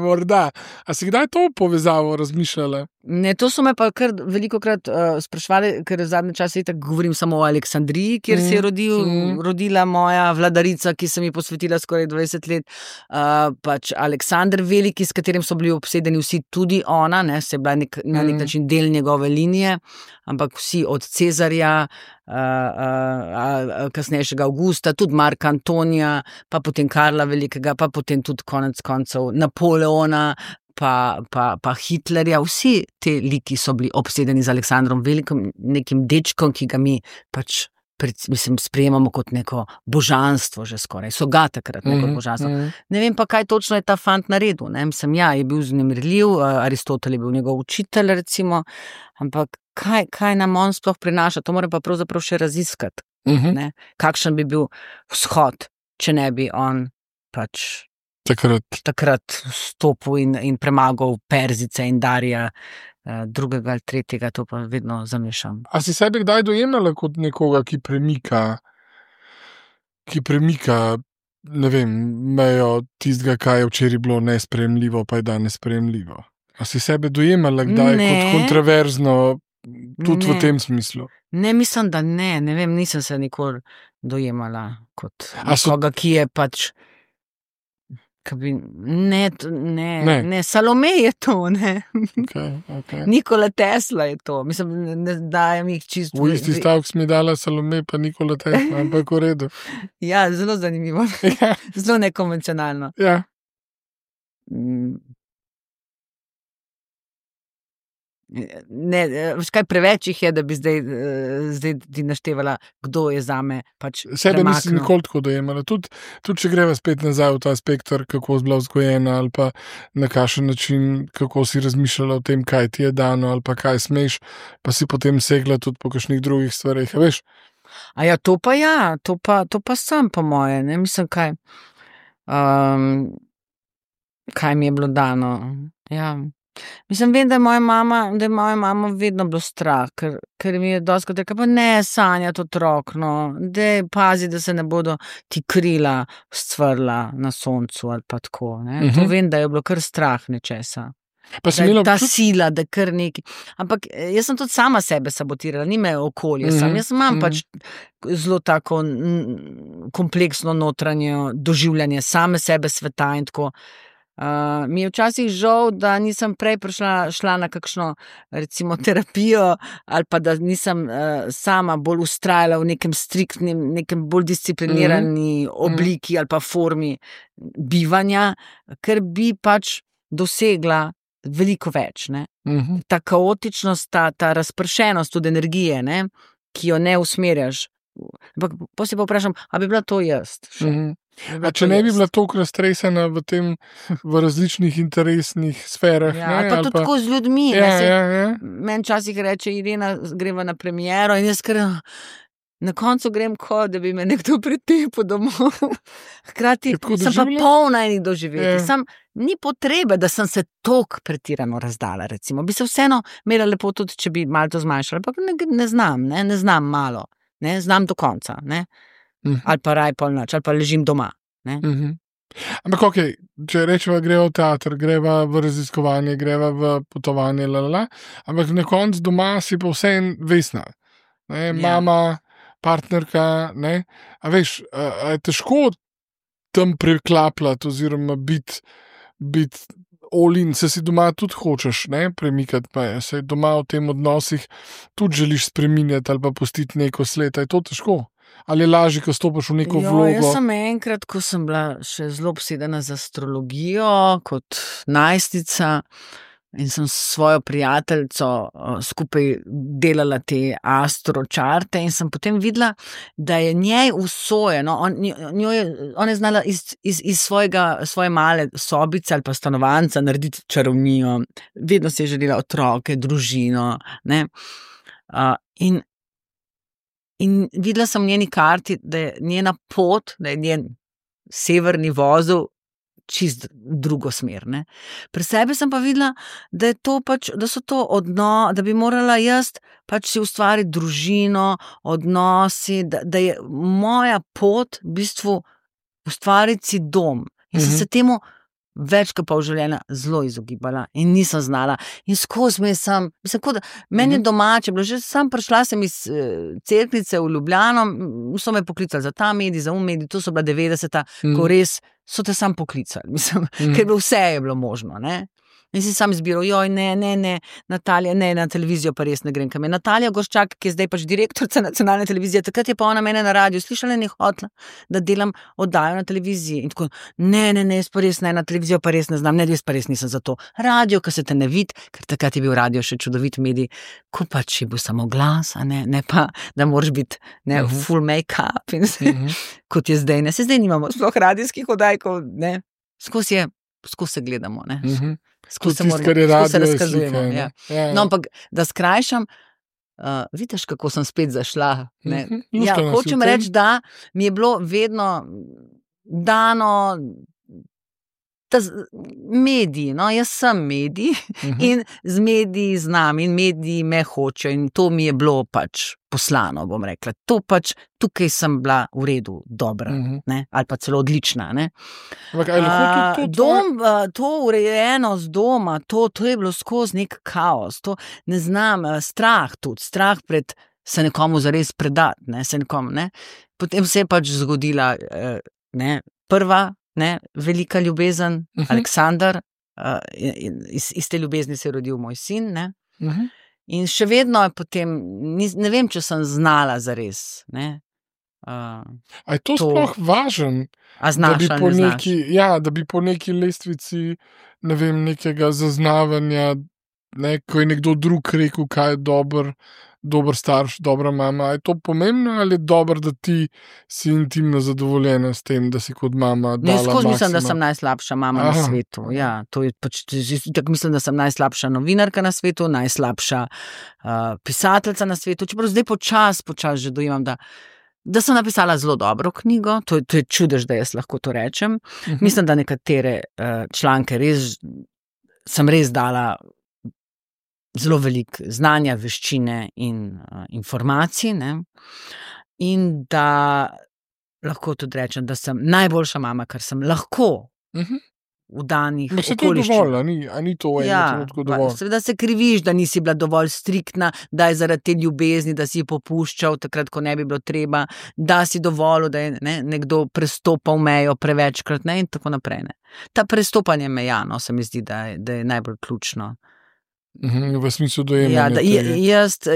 A si kdaj to povezavo razmišljala? Ne, to so me pa kar velikokrat sprašvali, ker v zadnje čase tako govorim samo o Aleksandriji, kjer se je rodila moja vladarica, ki sem ji posvetila skoraj 20 let. Pač Aleksander Veliki, s katerim so bili obsedeni vsi, tudi ona, ne, se je bila na nek način del njegove linije, ampak vsi od Cezarja, kasnejšega Augusta, tudi Marka Antonija, pa potem Karla Velikega, pa potem tudi konec koncev Napoleona, pa Hitlerja, vsi te liki so bili obsedeni z Aleksandrom Velikim, nekim dečkom, ki ga mi pač sprejemamo kot neko božanstvo že skoraj, so ga takrat neko božanstvo. Ne vem pa, kaj točno je ta fant naredil, ne, mislim, je bil vznemirljiv, Aristotel je bil njegov učitelj, recimo, ampak kaj nam on sploh prinaša, to mora pa pravzaprav še raziskati, ne, kakšen bi bil vzhod, če ne bi on pač takrat stopil in premagal Perzice in Darija, drugega ali tretjega, to pa vedno zamešam. A si sebe kdaj dojemala kot nekoga, ki premika, ne vem, mejo tistega, kaj je včeraj bilo nesprejemljivo, pa je danes sprejemljivo? A si sebe dojemala kdaj kot kontroverzno, tudi v tem smislu? Ne, mislim, da ne vem, nisem se nikoli dojemala kot nekoga, ki je pač Ne, Salome je to, ne. Okay. Nikola Tesla je to. Mislim, ne dajem jih čisto. V isti stavek mi dala Salome, pa Nikola Tesla, ampak v redu. Ja, zelo zanimivo. Zelo nekonvencionalno. Ja. Ne, kaj preveč jih je, da bi zdaj ti naštevala, kdo je zame pač sebe premaknil. Nisi nikoli tako dojemala. Tudi če greva spet nazaj v ta spektr, kako si bila vzgojena ali pa na kakšen način, kako si razmišljala o tem, kaj ti je dano ali pa kaj smeš, pa si potem segla tudi po kakšnih drugih stvareh, veš? To pa sem po moje, ne, mislim, kaj mi je bilo dano, ja. Mislim, vem, da je moja mama vedno bilo strah, ker mi je dostikrat rekla, pa ne sanjati otrok, no, daj pazi, da se ne bodo ti krila scvrla na soncu ali pa tako, ne. To vem, da je bilo kar strah nečesa. Pa si imela ta sila, da kar neki. Ampak jaz sem tudi sama sebe sabotirala, ni me okolje sam. Jaz imam pač zelo tako kompleksno notranje doživljanje same sebe, sveta in tako. Mi je včasih žal, da nisem prej šla na kakšno, recimo, terapijo ali pa da nisem sama bolj vztrajala v nekem striktnem, nekem bolj disciplinirani obliki ali pa formi bivanja, ker bi pač dosegla veliko več, ne. Ta kaotičnost, ta razpršenost od energije, ne, ki jo ne usmerjaš. Ampak potem se pa vprašam, a bi bila to jaz? A če ne bi bila toliko raztresena v različnih interesnih sferah. Ali pa tudi tako z ljudmi. Meni včasih reče, Irena, greva na premiero in jaz na koncu grem da bi me nekdo pretepil domov. Hkrati sem pa polna enih doživetij. Ni potrebe, da sem se toliko pretirano razdala, recimo. Bi se vseeno imela lepo tudi, če bi malo to zmanjšala, ampak ne znam malo. Ne, znam do konca, ne. Ali pa raj pol noč, ali pa ležim doma, ne. Ampak okej, če rečeva, greva v teater, greva v raziskovanje, greva v potovanje, ampak na koncu doma si pa vseeno Vesna, ne, mama, partnerka, ne, a veš, a je težko tam preklapljati oziroma biti all in, se si doma tudi hočeš, ne, premikati, pa se doma v tem odnosih tudi želiš spreminjati ali pa pustiti neko sled, je to težko? Ali je lažje, ko stopiš v neko vlogo? Jaz sem enkrat, ko sem bila še zelo obsedena z astrologijo kot najstnica in sem s svojo prijateljico skupaj delala te astročarte in sem potem videla, da je njej usojeno, ona je znala iz svoje male sobice ali pa stanovanca narediti čarovnijo, vedno si je želela otroke, družino, ne, in videla sem v njeni karti, da je njena pot, da je njen severni vozel čist drugo smer, ne. Pri sebi sem pa videla, da je to pač, da so to da bi morala jaz pač si ustvariti družino, odnosi, da je moja pot v bistvu ustvariti si dom. In sem se temu več kot pol življenja zelo izogibala in nisem znala. In skozi meni je domače, že sam prišla sem iz Cerknice v Ljubljano, so me poklicali za ta medij, za medij, to so bila 90-ta, ko res so te sam poklicali, ker vse je bilo možno, ne. In si sam izbiral, joj, ne, Natalija, ne, na televizijo pa res ne grem, kam je Natalija Gorščak, ki je zdaj pač direktorica nacionalne televizije, takrat je pa ona mene na radiju, slišala in je hotela, da delam oddajo na televiziji. In tako, ne, jaz pa res ne, na televizijo pa res ne znam, ne, jaz pa res nisem za to. Radio, ko se te ne vidi, ker takrat je bil radio še čudovit medij, ko pač je bil samo glas, a ne pa, da moraš biti full make-up in kot je zdaj, ne, se zdaj nimamo sploh radijskih oddajkov, ne, skozi se gledamo, ne. Skozi se razkazujemo. Ja. No, ampak da skrajšam, vidiš, kako sem spet zašla. Hočem reči, da mi je bilo vedno dano mediji, no, jaz sem medij in z mediji znam in mediji me hočejo in to mi je bilo pač poslano, bom rekla. To pač, tukaj sem bila v redu, dobra, ne, ali pa celo odlična, ne. To urejenost doma, to je bilo skozi nek kaos, to ne znam, strah pred se nekomu zares predati, ne, ne. Potem se je pač zgodila, prva, velika ljubezen, Aleksandar, iz te ljubezni se je rodil moj sin, ne. In še vedno je potem, ne vem, če sem znala zares, ne. A je to sploh važen? A znaš ali ne znaš? Da bi po neki lestvici, ne vem, nekega zaznavanja, ko je nekdo drug rekel, kaj je dober starš, dobra mama. Je to pomembno ali je dobro, da ti si intimno zadovoljena s tem, da si kot mama dala maksimum? Skozi mislim, da sem najslabša mama na svetu. Ja, to je pač, tako mislim, da sem najslabša novinarka na svetu, najslabša pisateljica na svetu. Čeprav zdaj počas že dojemam, da sem napisala zelo dobro knjigo. To je čudež, da jaz lahko to rečem. Mislim, da nekatere članke sem res dala zelo veliko znanja, veščine in informacij, ne? In da lahko tudi rečem, da sem najboljša mama, kar sem lahko v danih okoliščinah. Se to je dovolj, a ni to v enem trenutku dovolj? Seveda se kriviš, da nisi bila dovolj striktna, da je zaradi te ljubezni, da si popuščal takrat, ko ne bi bilo treba, da si dovolil, da je nekdo prestopal mejo prevečkrat, ne, in tako naprej, ne. Ta prestopanje meja, no, se mi zdi, da je najbolj ključno. V smislu dojemanja.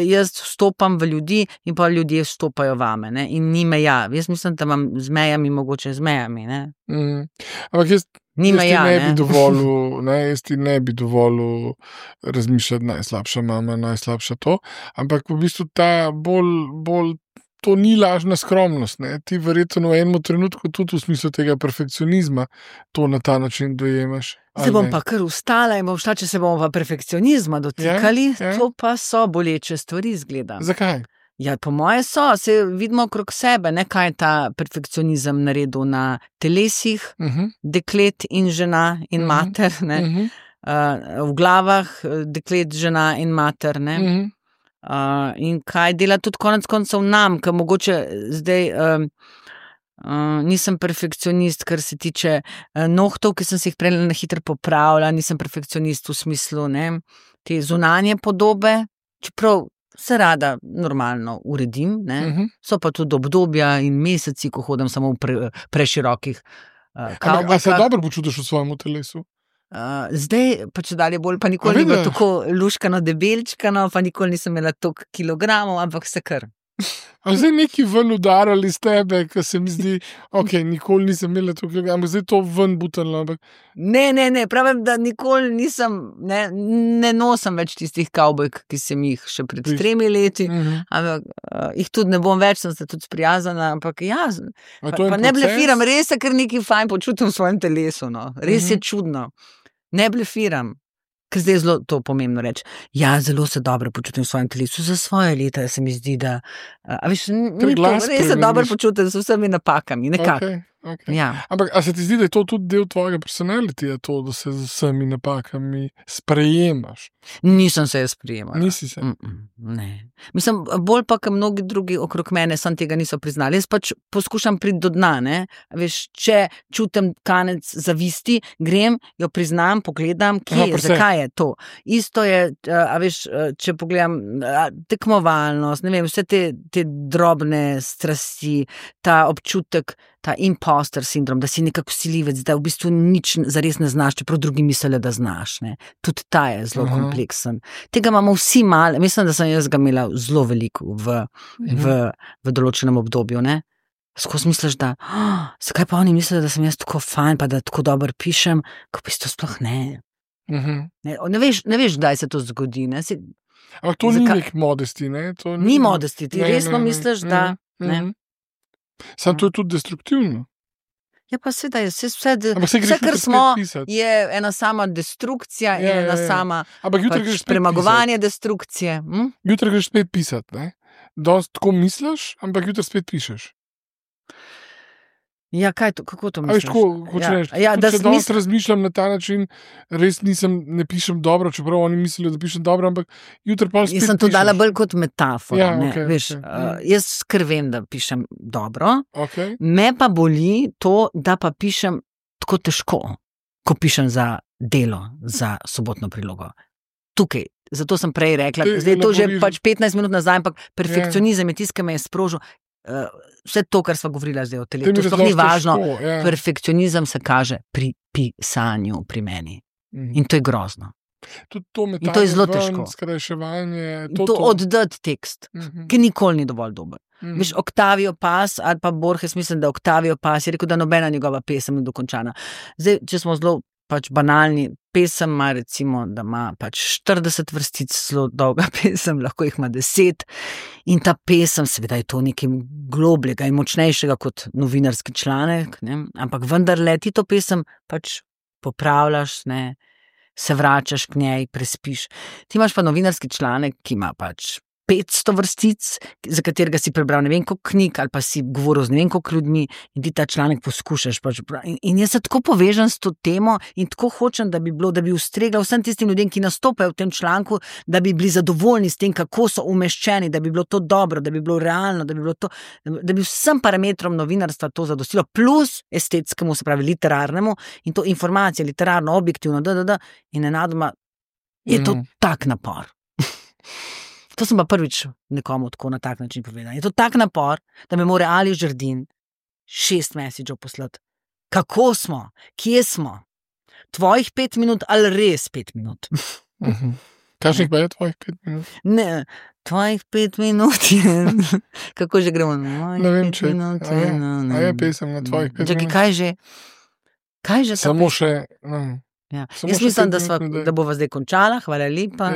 Jaz vstopam v ljudi in pa ljudje vstopajo vame, ne, in ni meja. Jaz mislim, da imam z mejami, mogoče z mejami, ne. Ampak jaz ti ne bi dovolil razmišljati najslabša mama, najslabša to, ampak v bistvu ta bolj to ni lažna skromnost, ne. Ti verjetno v enem trenutku tudi v smislu tega perfekcionizma to na ta način dojemaš. Se bom pa kar ustala in bom šla, če se bomo pa perfekcionizma dotikali, to pa so boleče stvari, izgleda. Zakaj? Ja, po moje se vidimo okrog sebe, ne, kaj je ta perfekcionizem naredil na telesih, deklet in žena in mater, ne, v glavah deklet, žena in mater, ne, in kaj dela tudi konec koncev nam, ker mogoče zdaj nisem perfekcionist, kar se tiče nohtov, ki sem se jih prej na hitro popravila, nisem perfekcionist v smislu, ne, te zunanje podobe, čeprav se rada normalno uredim, ne, so pa tudi obdobja in meseci, ko hodim samo v preširokih kavbojkah. A se dobro počutiš v svojem telesu? Zdaj, pa če dalje bolj, pa nikoli ni bilo tako luškano, debelčkano, pa nikoli nisem imela toliko kilogramov, ampak se kar. A zdaj neki ven udarali z tebe, ker se mi zdi, nikoli nisem imela toliko kilogramov, zdaj to ven butanilo, ampak... Ne, pravim, da nikoli nisem, ne nosim več tistih kavbojk, ki sem jih še pred 3 leti, ampak jih tudi ne bom več, sem se tudi sprijazana, ampak pa ne blefiram, res se kar nekaj fajn počutim v svojem telesu, no, res je čudno, ne blefiram. Ker zdaj je zelo to pomembno reči. Ja, zelo se dobro počutim v svojem telesu, za svoje leta se mi zdi, da res se dobro počutim z vsemi napakami, nekako. Ja. Ampak, a se ti zdi, da je to tudi del tvojega personalitija, to, da se z vsemi napakami sprejemaš? Nisem se jaz sprejemala. Nisi se? Ne. Mislim, bolj pa, ker mnogi drugi okrog mene sam tega niso priznali. Jaz pač poskušam priti do dna, ne. Veš, če čutim kanec zavisti, grem, jo priznam, pogledam, zakaj je to. Isto je, če pogledam tekmovalnost, ne vem, vse te drobne strasti, ta občutek ta imposter sindrom, da si nekako silivec, da v bistvu nič zares ne znaš, čeprav drugi mislijo, da znaš. Ne. Tudi ta je zelo kompleksen. Tega imamo vsi malo, mislim, da sem jaz ga imela zelo veliko v določenem obdobju. Ne. Skozi misliš, da zakaj pa oni mislijo, da sem jaz tako fajn, pa da tako dobro pišem, ko v bistvu sploh ne. Ne veš, kdaj se to zgodi. Ne. Ampak to ni nek modesti, ne? Ni modesti, ti resno misliš, da... Sam to je tudi destruktivno. Ja, pa seveda je, vse, kar smo, je ena sama destrukcija in ena sama premagovanje destrukcije. Jutri greš spet pisati, ne? Dost tako misliš, ampak jutri spet pišeš. Ja, kako to misliš? Če danes razmišljam na ta način, res ne pišem dobro, čeprav oni mislijo, da pišem dobro, ampak jutri pa spet pišeš. Jaz sem to dala bolj kot metafora. Jaz vem, da pišem dobro, me pa boli to, da pa pišem tako težko, ko pišem za Delo, za Sobotno prilogo. Tukaj, zato sem prej rekla, zdaj to že 15 minut nazaj, ampak perfekcionizem je tisto, ki me je sprožil. Vse to, kar sva govorila zdaj o telesu, to ni važno. Perfekcionizem se kaže pri pisanju pri meni. In to je grozno. In to je zelo težko. To oddati tekst, ki nikoli ni dovolj dober. Veš, Octavio Paz ali pa Borges, mislim, da Octavio Paz je rekel, da nobena njegova pesem ni dokončana. Zdaj, če smo zelo banalni, pesem ima recimo, da ima 40 vrstic, zelo dolga pesem, lahko jih ima 10 in ta pesem, seveda je to nekaj globljega in močnejšega kot novinarski članek, ne? Ampak vendarle ti to pesem popravljaš, ne? Se vračaš k njej, prespiš. Ti imaš pa novinarski članek, ki ima 500 vrstic, za katerega si prebral ne vem koliko knjig ali pa si govoril z ne vem koliko ljudmi in ti ta članek poskušaš. In jaz se tako povežem s to temo in tako hočem, da bi ustregla vsem tistim ljudem, ki nastopajo v tem članku, da bi bili zadovoljni s tem, kako so umeščeni, da bi bilo to dobro, da bi bilo realno, da bi vsem parametrom novinarstva to zadostilo, plus estetskemu, se pravi literarnemu, in to informacije, literarno, objektivno, in nenadoma je to tak napor. To sem pa prvič nekomu tako na tak način povedala. Je to tak napor, da me mora Aljo Žerdin 6 mesičev poslati. Kako smo? Kje smo? Tvojih 5 minut ali res 5 minut? Kakšnih pa je tvojih 5 minut? Ne, tvojih 5 minut je... Kako že gremo? Ne vem, če... A je pesem na tvojih 5 minut? Čakaj, kaj že? Samo še... Jaz mislim, da bova zdaj končala. Hvala lepa.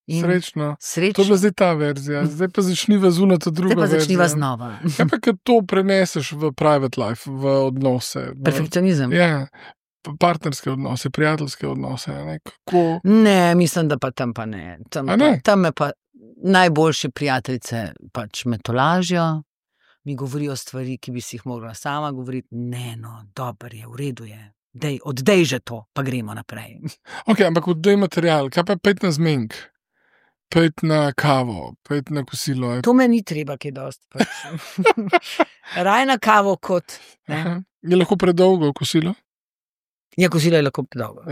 Srečno. To je bila zdaj ta verzija, zdaj pa začniva zunaj druga verzija. Zdaj pa začniva znova. Ja, pa kad to preneseš v private life, v odnose. Perfekcionizem. Ja, partnerske odnose, prijateljske odnose. Ne, mislim, da pa tam pa ne. Tam me pa najboljše prijateljice me tolažijo, mi govorijo stvari, ki bi si jih mogla sama govoriti. Ne, dober je, v redu je. Oddej že to, pa gremo naprej. Ok, ampak oddej material, kaj pa 5 na zmenk? 5 na kavo, 5 na kosilo. To me ni treba, kaj dosti. Raj na kavo kot... Je lahko predolgo kosilo? Ja, kosilo je lahko predolgo.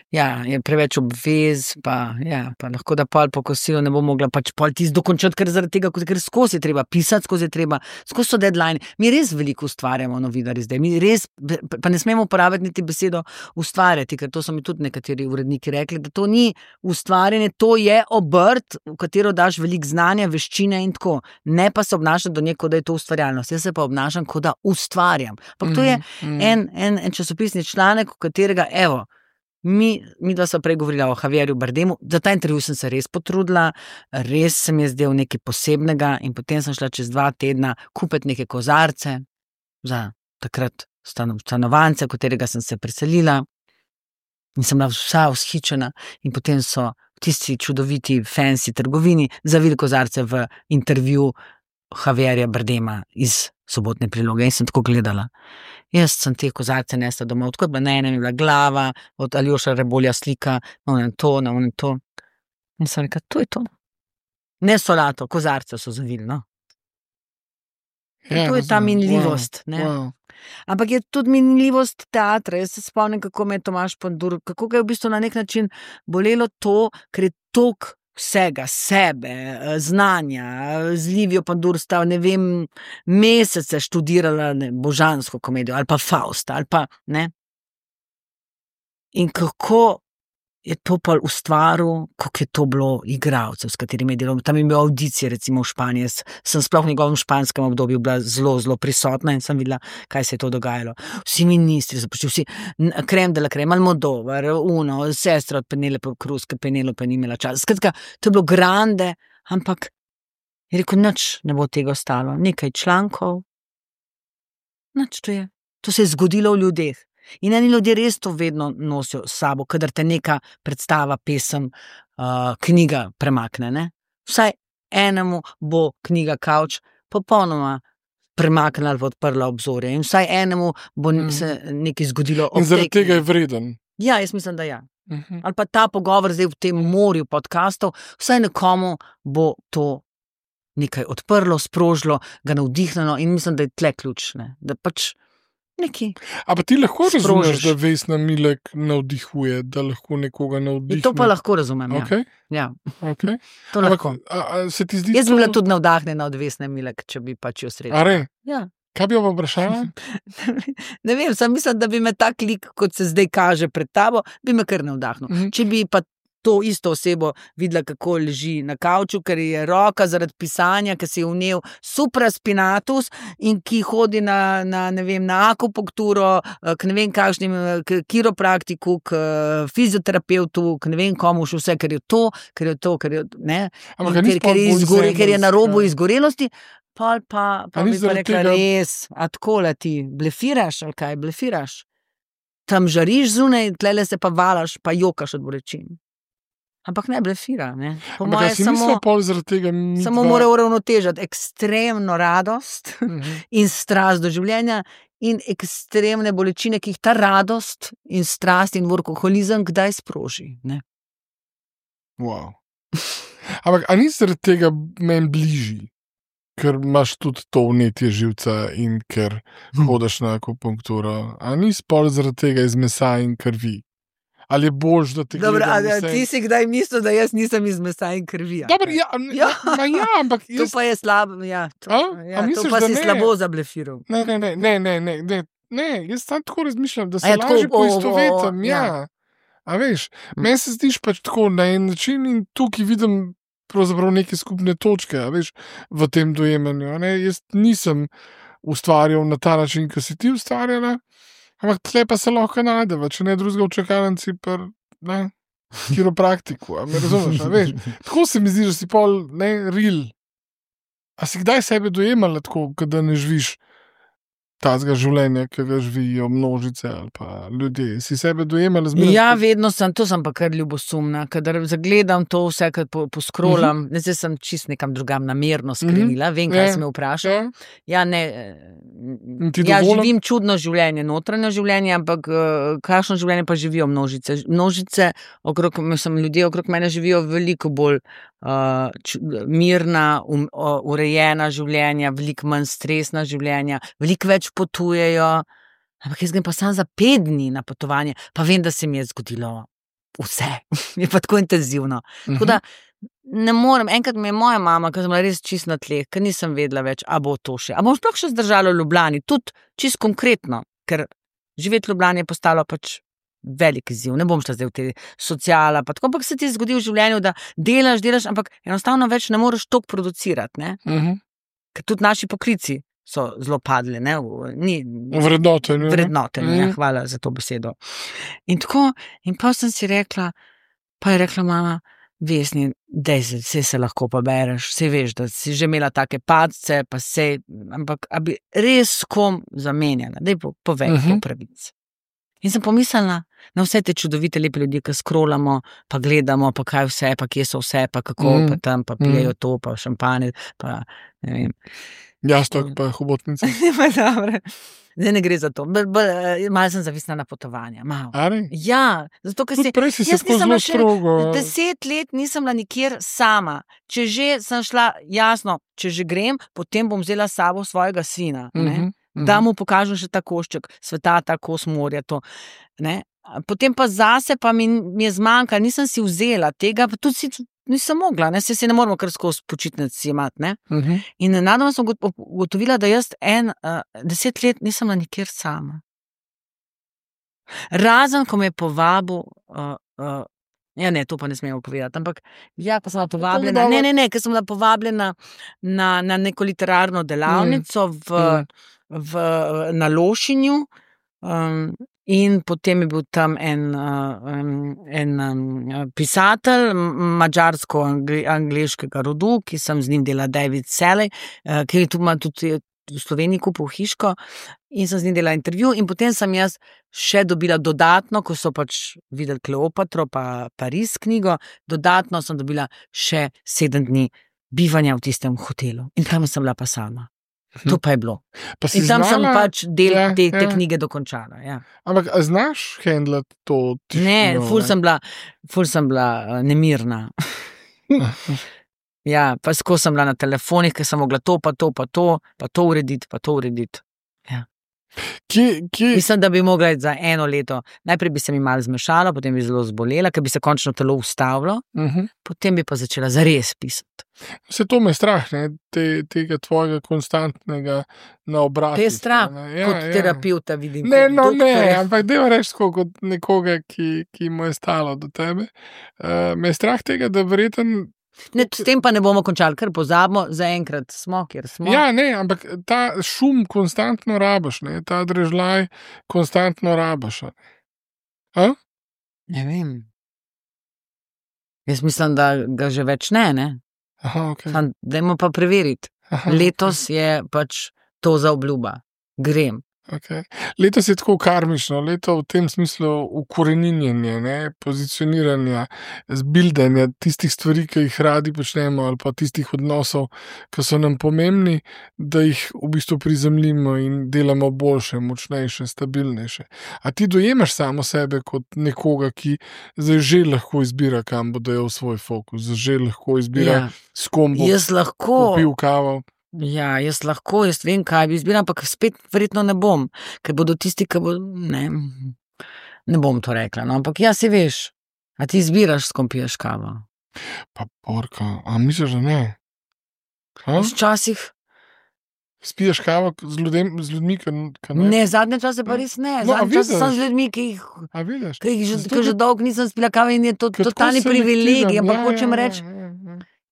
Ja, je preveč obvez, pa lahko da pol po kosilu ne bo mogla pol tisti dokončati, ker zaradi tega, ker skozi je treba pisati, skozi so deadline. Mi res veliko ustvarjamo novinarji zdaj, mi res, pa ne smemo uporabiti niti besedo ustvarjati, ker to so mi tudi nekateri uredniki rekli, da to ni ustvarjanje, to je obrt, v katero daš veliko znanja, veščine in tako. Ne pa se obnašati do nje, kot da je to ustvarjalnost. Jaz se pa obnašam, kot da ustvarjam. Ampak to je en časopisni članek, v katerega, mi da so prej govorila o Javierju Bardemu, za ta intervju sem se res potrudila, res se mi je zdel nekaj posebnega in potem sem šla čez 2 tedna kupiti neke kozarce za takrat stanovance, v katerega sem se preselila in sem bila vsa vzhičena in potem so tisti čudoviti fancy trgovini zavili kozarce v intervju Javierja Bardema iz Sobotne priloge in sem tako gledala. Jaz sem te kozarce nesla domov, tako da na enem je bila glava, od Aljoša Rebolja slika, na to. In sem rekla, to je to. Ne solato, kozarce so zavili, no. To je ta minljivost, ne. Wow. Ampak je tudi minljivost teatra. Jaz se spomnim, kako me je Tomaž Pandur, kako ga je v bistvu na nek način bolelo to, ker je toliko vsega, sebe, znanja, z Livijo Pandursta, ne vem, mesece študirala božansko komedijo ali pa Fausta ali pa, ne. In kako je to pa ustvaril, kako je to bilo igralcev, s katerimi je delal. Tam je imel audicije, recimo v Španiji. Sem sploh v njegovem španskem obdobju bila zelo, zelo prisotna in sem videla, kaj se je to dogajalo. Vsi ministri so prišli, vsi Creme de la Creme, Almodovar, sestra od Penelope Cruz, ki Penelope ni imela časa. Skratka, to je bilo grande, ampak je rekel, nič ne bo tega ostalo. Nekaj člankov, nič to je. To se je zgodilo v ljudeh. In eni ljudje res to vedno nosijo s sabo, kadar te neka predstava, pesem, knjiga premakne, ne? Vsaj enemu bo knjiga Kavč popolnoma premaknila ali odprla obzorje in vsaj enemu bo se nekaj zgodilo. In zaradi tega je vreden. Ja, jaz mislim, da ja. Ali pa ta pogovor zdaj v tem morju podcastov, vsaj nekomu bo to nekaj odprlo, sprožilo, ga navdihnilo in mislim, da je tle ključ, ne? Da pač neki. A pa ti lahko razumeš, da Vesna Milek navdihuje, da lahko nekoga navdihne? To pa lahko razumem, okay. Ja. Okay. To lahko. Se ti zdi Jaz bi bila tudi navdahnjena od Vesne Milek, če bi pač jo srečala. A re? Ja. Kaj bi jo vprašala? Ne vem, sam mislim, da bi me tak lik, kot se zdaj kaže pred tabo, bi me kar navdahnil. Če bi pa to isto osebo videla, kako leži na kavču, ker je roka zaradi pisanja, ker si je vnel supraspinatus in ki hodi na ne vem, na akupunkturo, k ne vem kakšnim, k kiropraktiku, k fizioterapeutu, k ne vem komu še vse, ker je, ne, ker je na robu izgorelosti, pa bi pa rekla, res, a takole ti blefiraš, ali kaj blefiraš? Tam žariš zunaj, tlele se pa valaš, pa jokaš od bolečin. Ampak ne blefira, ne. Po moje samo mora uravnotežiti ekstremno radost in strast do življenja in ekstremne bolečine, ki jih ta radost in strast in workoholizem kdaj sproži, ne. Wow. Ampak, a ni zaradi tega meni bližji? Ker imaš tudi to vnetje živca in ker hodiš na akupunkturo. A ni spol zaradi tega iz mesa in krvi? Ali je boljš, da te gledam vse? Ti si kdaj mislil, da jaz nisem iz mesa in krvi? Dobar, ampak jaz... To pa je slabo, misliš, to pa si slabo zablefiral. Ne, jaz tam tako razmišljam, da se lažje poistovetim, A veš, meni se zdiš pač tako na en način in tukaj vidim pravzaprav neke skupne točke, a veš, v tem dojemanju. Jaz nisem ustvarjal na ta način, ki si ti ustvarjala, ampak tle pa se lahko najdeva, če ne drugega v čakalnici per, kiropraktiku, a me razumeš, a veš. Tako se mi zdi, da si pol, real. A si kdaj sebe dojemala tako, da ne živiš tazga življenja, ki ga živijo množice ali pa ljudje? Si sebe dojemala zmeraj? Ja, vedno sem, to sem pa kar ljubosumna, kadar zagledam to vse, kad poskrolam, zdaj sem čist nekam drugam namerno skrenila, vem, kaj si me vprašal. Živim čudno življenje, notranje življenje, ampak kakšno življenje pa živijo množice? Množice, ljudje okrog mene živijo veliko bolj mirna, urejena življenja, veliko manj stresna življenja, veliko več potujejo, ampak jaz grem pa sam za 5 dni na potovanje, pa vem, da se mi je zgodilo vse, je pa tako intenzivno. Tako da ne morem, enkrat mi je moja mama, ker sem bila res čist na tleh, ker nisem vedela več, a bo to še, a bom sploh še zdržala v Ljubljani, tudi čist konkretno, ker živeti v Ljubljani je postalo pač velik izziv, ne bom šla zdaj v te sociala, pa tako, ampak se ti zgodi v življenju, da delaš, ampak enostavno več ne moreš toliko producirati, ne? Ker tudi naši poklici so zelo padli, ne? Vrednotenje, hvala za to besedo. In tako, in pa sem si rekla, pa je rekla mama, Vesni, dej se lahko pa bereš, saj veš, da si že imela take padce, pa sej, ampak a bi res kom zamenjala, dej povej po pravici. In sem pomislila na vse te čudovite lepe ljudi, ki scrollamo, pa gledamo, pa kaj vse, pa kje so vse, pa kako, pa tam, pa pijejo to, pa šampanje, pa ne vem. Jastok, pa hobotnice. Dobre. Zdaj ne gre za to. Malo sem zavisna na potovanja. Ja, zato, ker prej si se tako zelo strogo. 10 let nisem bila nikjer sama. Če že sem šla, jasno, če že grem, potem bom vzela s sabo svojega sina, da mu pokažem še ta košček sveta, ta kos morja, to, ne. Potem pa zase pa mi je zmanjkalo, nisem si vzela tega, pa tudi nisem mogla, ne, se ne moramo kar skozi počitnic imati, ne. Mhm. In nenadoma sem ugotovila, da jaz 10 let nisem bila nikjer sama. Razen, ko me je povabil, ja, ne, to pa ne smemo povedati, ampak ja, ko sem bila povabljena, ne, ker sem bila povabljena na neko literarno delavnico na Lošinju, in potem je bil tam en pisatelj madžarsko-angleškega rodu, ki sem z njim delala, David Selley, ki je tudi v Sloveniji kupil hiško, in sem z njim delala intervju, in potem sem jaz še dobila dodatno, ko so pač videli Kleopatro pa Pariz knjigo, dodatno sem dobila še 7 dni bivanja v tistem hotelu. In tam sem bila pa sama. To pa je bilo. In tam sem pač del te knjige dokončala. Ja. Ampak a znaš handlati to tišino? Ne, ful sem bila nemirna. Ja, pa skozi sem bila na telefonih, ker sem mogla to urediti, Ja. Mislim, da bi mogla za 1 leto. Najprej bi se mi malo zmešala, potem bi zelo zbolela, ker bi se končno telo ustavilo, potem bi pa začela zares pisati. Vse to me je strah, ne? Tega tvojega konstantnega naobratiti. Te je strah, kot terapeuta vidim. Ne, ampak deva reči kot nekoga, ki mu je stalo do tebe. Me je strah tega, da verjetno. Ne, s tem pa ne bomo končali, ker pozabimo, zaenkrat smo, kjer smo. Ja, ne, ampak ta šum konstantno rabiš, ne, ta drežljaj konstantno rabiš. Ne vem. Jaz mislim, da ga že več ne. Aha, ok. Dajmo pa preveriti. Letos je pač to za obljuba. Grem. Okay. Letos je tako karmično, leto v tem smislu ukoreninjenja, ne, pozicioniranja, zbildanja tistih stvari, ki jih radi počnemo, ali pa tistih odnosov, ki so nam pomembni, da jih v bistvu prizemljimo in delamo boljše, močnejše, stabilnejše. A ti dojemaš samo sebe kot nekoga, ki zdaj že lahko izbira, kam bo dajal svoj fokus, že lahko izbira, s kom bo popil kavo? Ja, jaz vem, kaj bi izbiral, ampak spet verjetno ne bom, ker bodo tisti, ki bo, ne bom to rekla, no, ampak ja, si veš, a ti izbiraš, s kom piješ kavo? Pa porka, a misliš, da ne? Včasih. Spiješ kavo z ljudmi, ki ne? Ne, zadnje čase pa res ne, zadnje čase sem z ljudmi, ki jih že dolgo nisem spila kave in je to totalni privilegij, ampak hočem reči,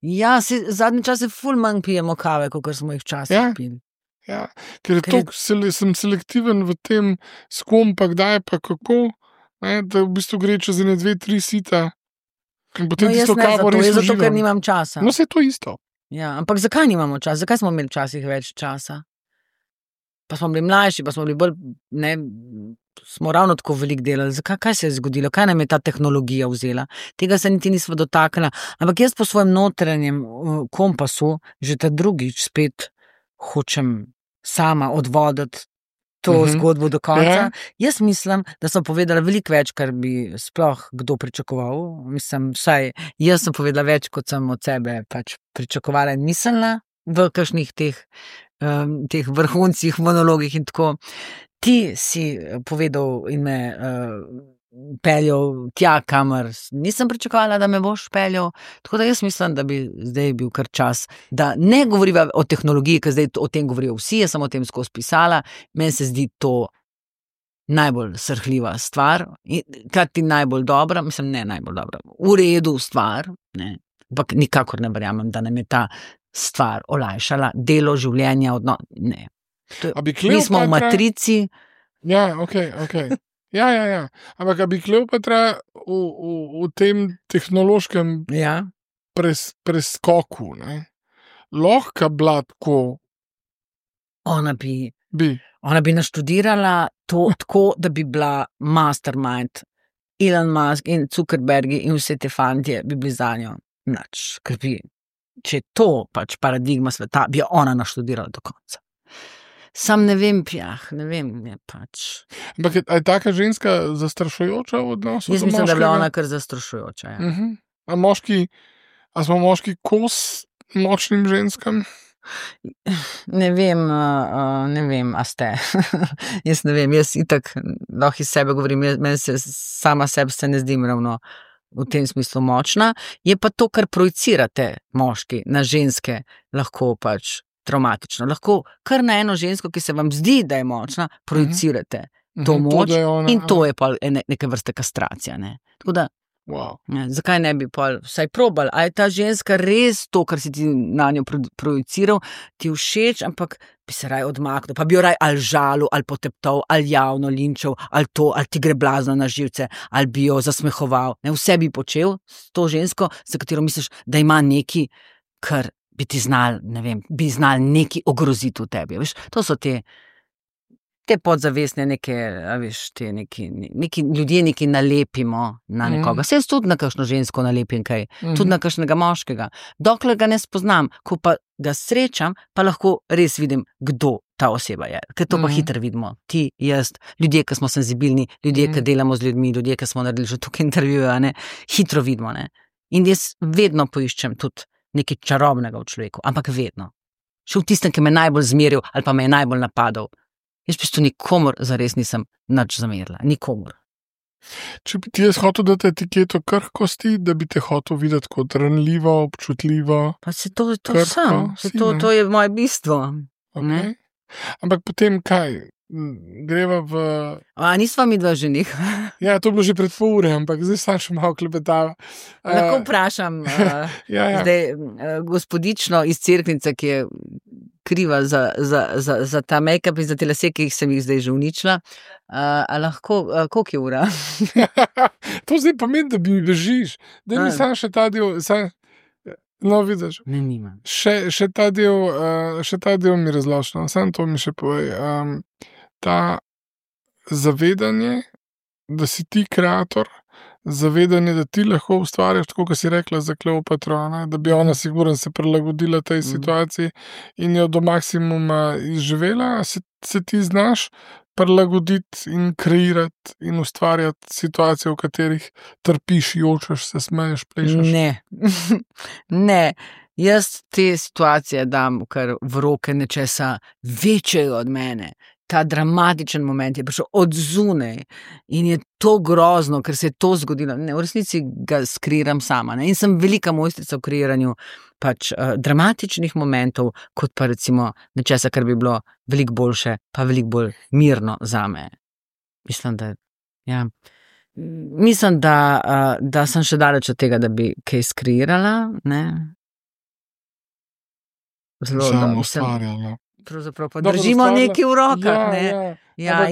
ja, zadnje čase ful manj pijemo kave, kot smo jih včasih pili. Ja, ker sem selektiven v tem, s kom pa kdaj pa kako, ne, da v bistvu gre čez 1, 2, 3 sita. In potem tisto kavo res uživam. Zato, ker nimam časa. No, se je to isto. Ja, ampak zakaj nimamo časa? Zakaj smo imeli včasih več časa? Pa smo bili mlajši, pa smo bili bolj, smo ravno tako veliko delali. Kaj se je zgodilo? Kaj nam je ta tehnologija vzela? Tega se niti nismo dotaknili. Ampak jaz po svojem notranjem kompasu že ta drugič spet hočem sama odvoditi to zgodbo do konca. Jaz mislim, da sem povedala veliko več, kar bi sploh kdo pričakoval. Mislim, vsaj jaz sem povedala več, kot sem od sebe pač pričakovala in mislila v kakšnih teh vrhuncih, monologih in tako. Ti si povedal in me peljal tja, kamor nisem pričakovala, da me boš peljal. Tako da jaz mislim, da bi zdaj bil kar čas, da ne govoriva o tehnologiji, ker zdaj o tem govorijo vsi, jaz sem o tem skozi pisala. Meni se zdi to najbolj srhljiva stvar, krati najbolj dobra, mislim, ne najbolj dobra, v redu stvar, ne, ampak nikakor ne verjamem, da nam je ta stvar olajšala delo, življenja, ne. Mi smo v matrici. Ja, ok. Ja. Ampak bi Kleopatra v tem tehnološkem preskoku, ne, lahko bila tako? Ona bi naštudirala to tako, da bi bila mastermind. Elon Musk in Zuckerbergi in vse te fantje bi bili za njo nič. Če je to pač paradigma sveta, bi jo ona naštudirala do konca. Sam ne vem, je pač. Ampak je taka ženska zastrašujoča v odnosu? Jaz mislim, da je bila ona kar zastrašujoča, ja. A smo moški kos močnim ženskam? Ne vem, a ste. Jaz ne vem, jaz itak lahko iz sebe govorim, meni se sama sebe se ne zdim ravno v tem smislu močna, je pa to, kar projicirate moški na ženske, lahko pač traumatično. Lahko kar na eno žensko, ki se vam zdi, da je močna, projicirate to moč in to je pa neke vrste kastracija. Ne? Tako da, zakaj ne bi pa vsaj probal? A je ta ženska res to, kar si ti na njo projiciral, ti všeč, ampak bi se raj odmaknil, pa bi jo raj ali žalil, ali poteptal, ali javno linčal, ali to, ali ti gre blazno na živce, ali bi jo zasmehoval. Ne, vse bi počel s to žensko, za katero misliš, da ima neki, kar bi ti znal, ne vem, bi znal neki ogroziti v tebi. Veš, to so te podzavestne neke, veš, te neki ljudje neki nalepimo na nekoga. Se jaz tudi na kakšno žensko nalepim kaj, tudi na kakšnega moškega. Dokler ga ne spoznam, ko pa ga srečam, pa lahko res vidim, kdo ta oseba je. Ker to pa hitro vidimo. Ti, jaz, ljudje, ki smo senzibilni, ljudje, ki delamo z ljudmi, ljudje, ki smo naredili že tukaj intervjuje, ne, hitro vidimo. Ne. In jaz vedno poiščem tudi nekaj čarobnega v človeku, ampak vedno. Še v tistem, ki me najbolj zmeril ali pa me je najbolj napadal. Jaz v bistvu nikomor zares nisem nič zamerila. Nikomor. Če bi ti jaz hotel dati etiketo krhkosti, da bi te hotel videti kot ranljivo, občutljivo. Pa se to sam. To je moje bistvo. Okay. Ampak potem kaj? Greva v... A nisva mi dva ženih? Ja, to je bilo že pred pol ure, ampak zdaj sam še malo klepetava. Lahko vprašam zdaj gospodično iz Cerknice, ki je kriva za ta make-up in za te lase, ki sem jih zdaj že uničila. A lahko, koliko je ura? To zdaj pomeni, da bi mi bežiš. Da mi sam še ta del... No, vidiš. Ne, nimam. Še ta del mi razločno. Sam to mi še povej. Ta zavedanje, da si ti kreator, zavedanje, da ti lahko ustvarjaš, tako kot si rekla za Kleopatro, da bi ona sigurno se prilagodila tej situaciji in jo do maksimuma izživela, se ti znaš prilagoditi in kreirati in ustvarjati situacije, v katerih trpiš, jočeš, se smeješ, plešeš. Ne. Jaz te situacije dam kar v roke nečesa večjega od mene. Ta dramatičen moment je prišel od zunaj in je to grozno, ker se je to zgodilo. Ne, v resnici ga skreiram sama. Ne? In sem velika mojstrica v kreiranju pač dramatičnih momentov, kot pa recimo nečesa, kar bi bilo veliko boljše, pa veliko bolj mirno zame. Mislim, da sem še daleč od tega, da bi kaj skreirala. Ne? Samo ustvarjala. Pravzaprav pa držimo nekaj v rokah.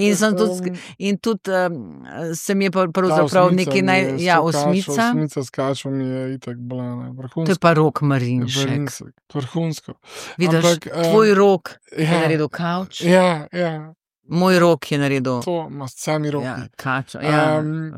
In sem tudi, se mi je pravzaprav nekaj osmica. Osmica s kačo mi je itak blana. To je pa Rok Marinšek. Vrhunsko. Vidiš, tvoj Rok je naredil kavč. Ja. Moj Rok je naredil... To, sami roki. Ja, kačo.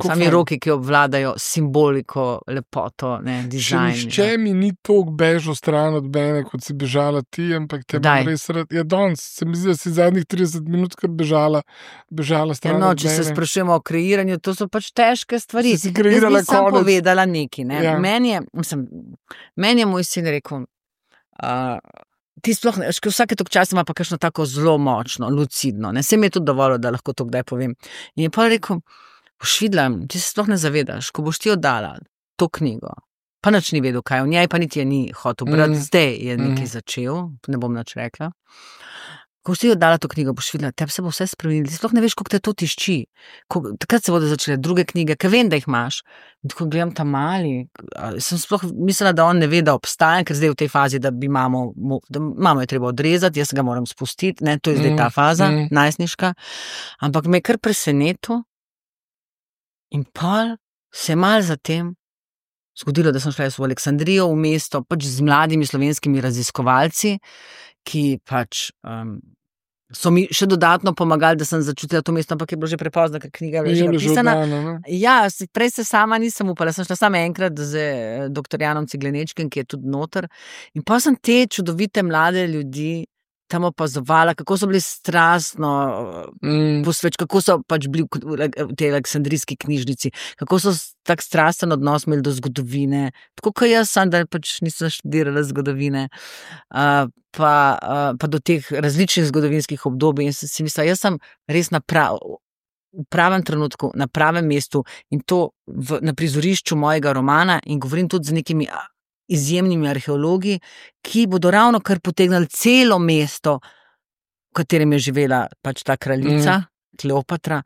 Sami roki, ki obvladajo simboliko, lepoto, dizajn. Nihče mi ni toliko bežal stran od mene, kot si bežala ti, ampak te bom res rad... Ja, danes, se mi zdi, da si zadnjih 30 minut kar bežala stran od mene. Če se sprašujemo o kreiranju, to so pač težke stvari. Si kreirala konec. Jaz nisem povedala nekaj. Ne? Ja. Meni je moj sin rekel... Ti sploh ne, vsake toliko časa ima pa kakšno tako zelo močno, lucidno. Se mi je tudi dovolj, da lahko to kdaj povem. In je pa rekel, boš videla, ti se sploh ne zavedaš, ko boš ti oddala to knjigo, pa nič ni vedel, kaj v njej, pa niti je ni hotel brati, zdaj je nekaj začel, ne bom nič rekla. Ko boš ti oddala to knjigo, boš videla, tebi se bo vse spremenilo, ti sploh ne veš, kako te to tišči. Takrat se bodo začele druge knjige, ker vem, da jih imaš. Ko gledam ta mali, sem sploh mislila, da on ne ve, da obstaja, ker zdaj v tej fazi, da mamo je treba odrezati, jaz ga moram spustiti, to je zdaj ta faza, najstniška. Ampak me je kar presenetil in pol se malo zatem zgodilo, da sem šla v Aleksandrijo, v mesto, pač z mladimi slovenskimi raziskovalci, ki pač so mi še dodatno pomagali, da sem začutila to mesto, ampak je bilo že prepozno, ker knjiga je že napisana. Ja, prej se sama nisem upala, sem šla samo enkrat z dr. Janom Ciglenečkim, ki je tudi noter. In pa sem te čudovite mlade ljudi tam opazovala, kako so bili strastno kako so pač bili v tej aleksandrijski knjižnici, kako so tak strasten odnos imeli do zgodovine, tako kot jaz sem, da pač nisem študirala zgodovine, pa do teh različnih zgodovinskih obdobij in si mislila, jaz sem res v pravem trenutku, na pravem mestu in to na prizorišču mojega romana in govorim tudi z nekimi izjemnimi arheologi, ki bodo ravno kar potegnili celo mesto, v katerem je živela pač ta kraljica, Kleopatra,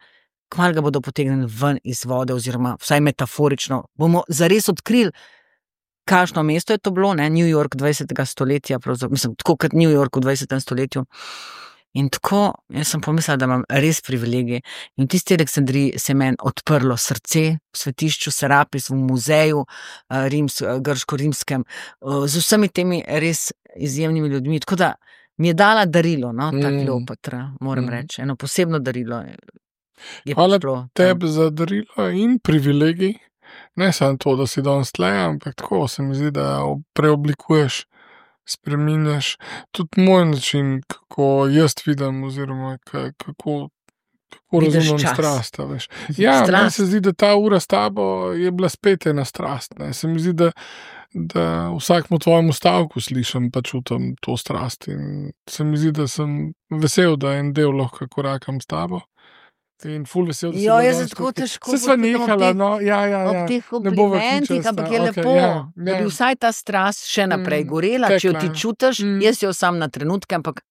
kmalu ga bodo potegnili ven iz vode oziroma vsaj metaforično. Bomo zares odkrili, kakšno mesto je to bilo, ne? New York 20. stoletja, mislim, tako kot New York v 20. stoletju. In tako, jaz sem pomislila, da imam res privilegij. In v tisti Aleksandriji se je meni odprlo srce v svetišču Serapis, v muzeju grško-rimskem, z vsemi temi res izjemnimi ljudmi. Tako da mi je dala darilo, no, ta Kleopatra, moram reči. Eno posebno darilo. Hvala tebi za darilo in privilegij. Ne samo to, da si danes tle, ampak tako se mi zdi, da preoblikuješ, spreminjaš tudi moj način, kako jaz vidim oziroma kako razumem strast. Ja, meni se zdi, da ta ura s tabo je bila spet ena strast. Ne. Se mi zdi, da vsakmu tvojemu stavku slišim pa čutim to strast. In se mi zdi, da sem vesel, da en del lahko korakam s tabo. In ful vesel, da si jaz se tako težko se sva nehala, no, ja. Ob teh komplimentih, ampak je lepo, da bi vsaj ta strast še naprej gorela, če jo ti čutiš, jaz jo sam na trenutke, ampak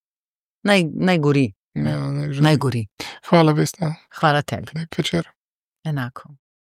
naj gori. Ja, naj gori. Hvala, Vesna. Hvala tebi. Lep večer. Enako.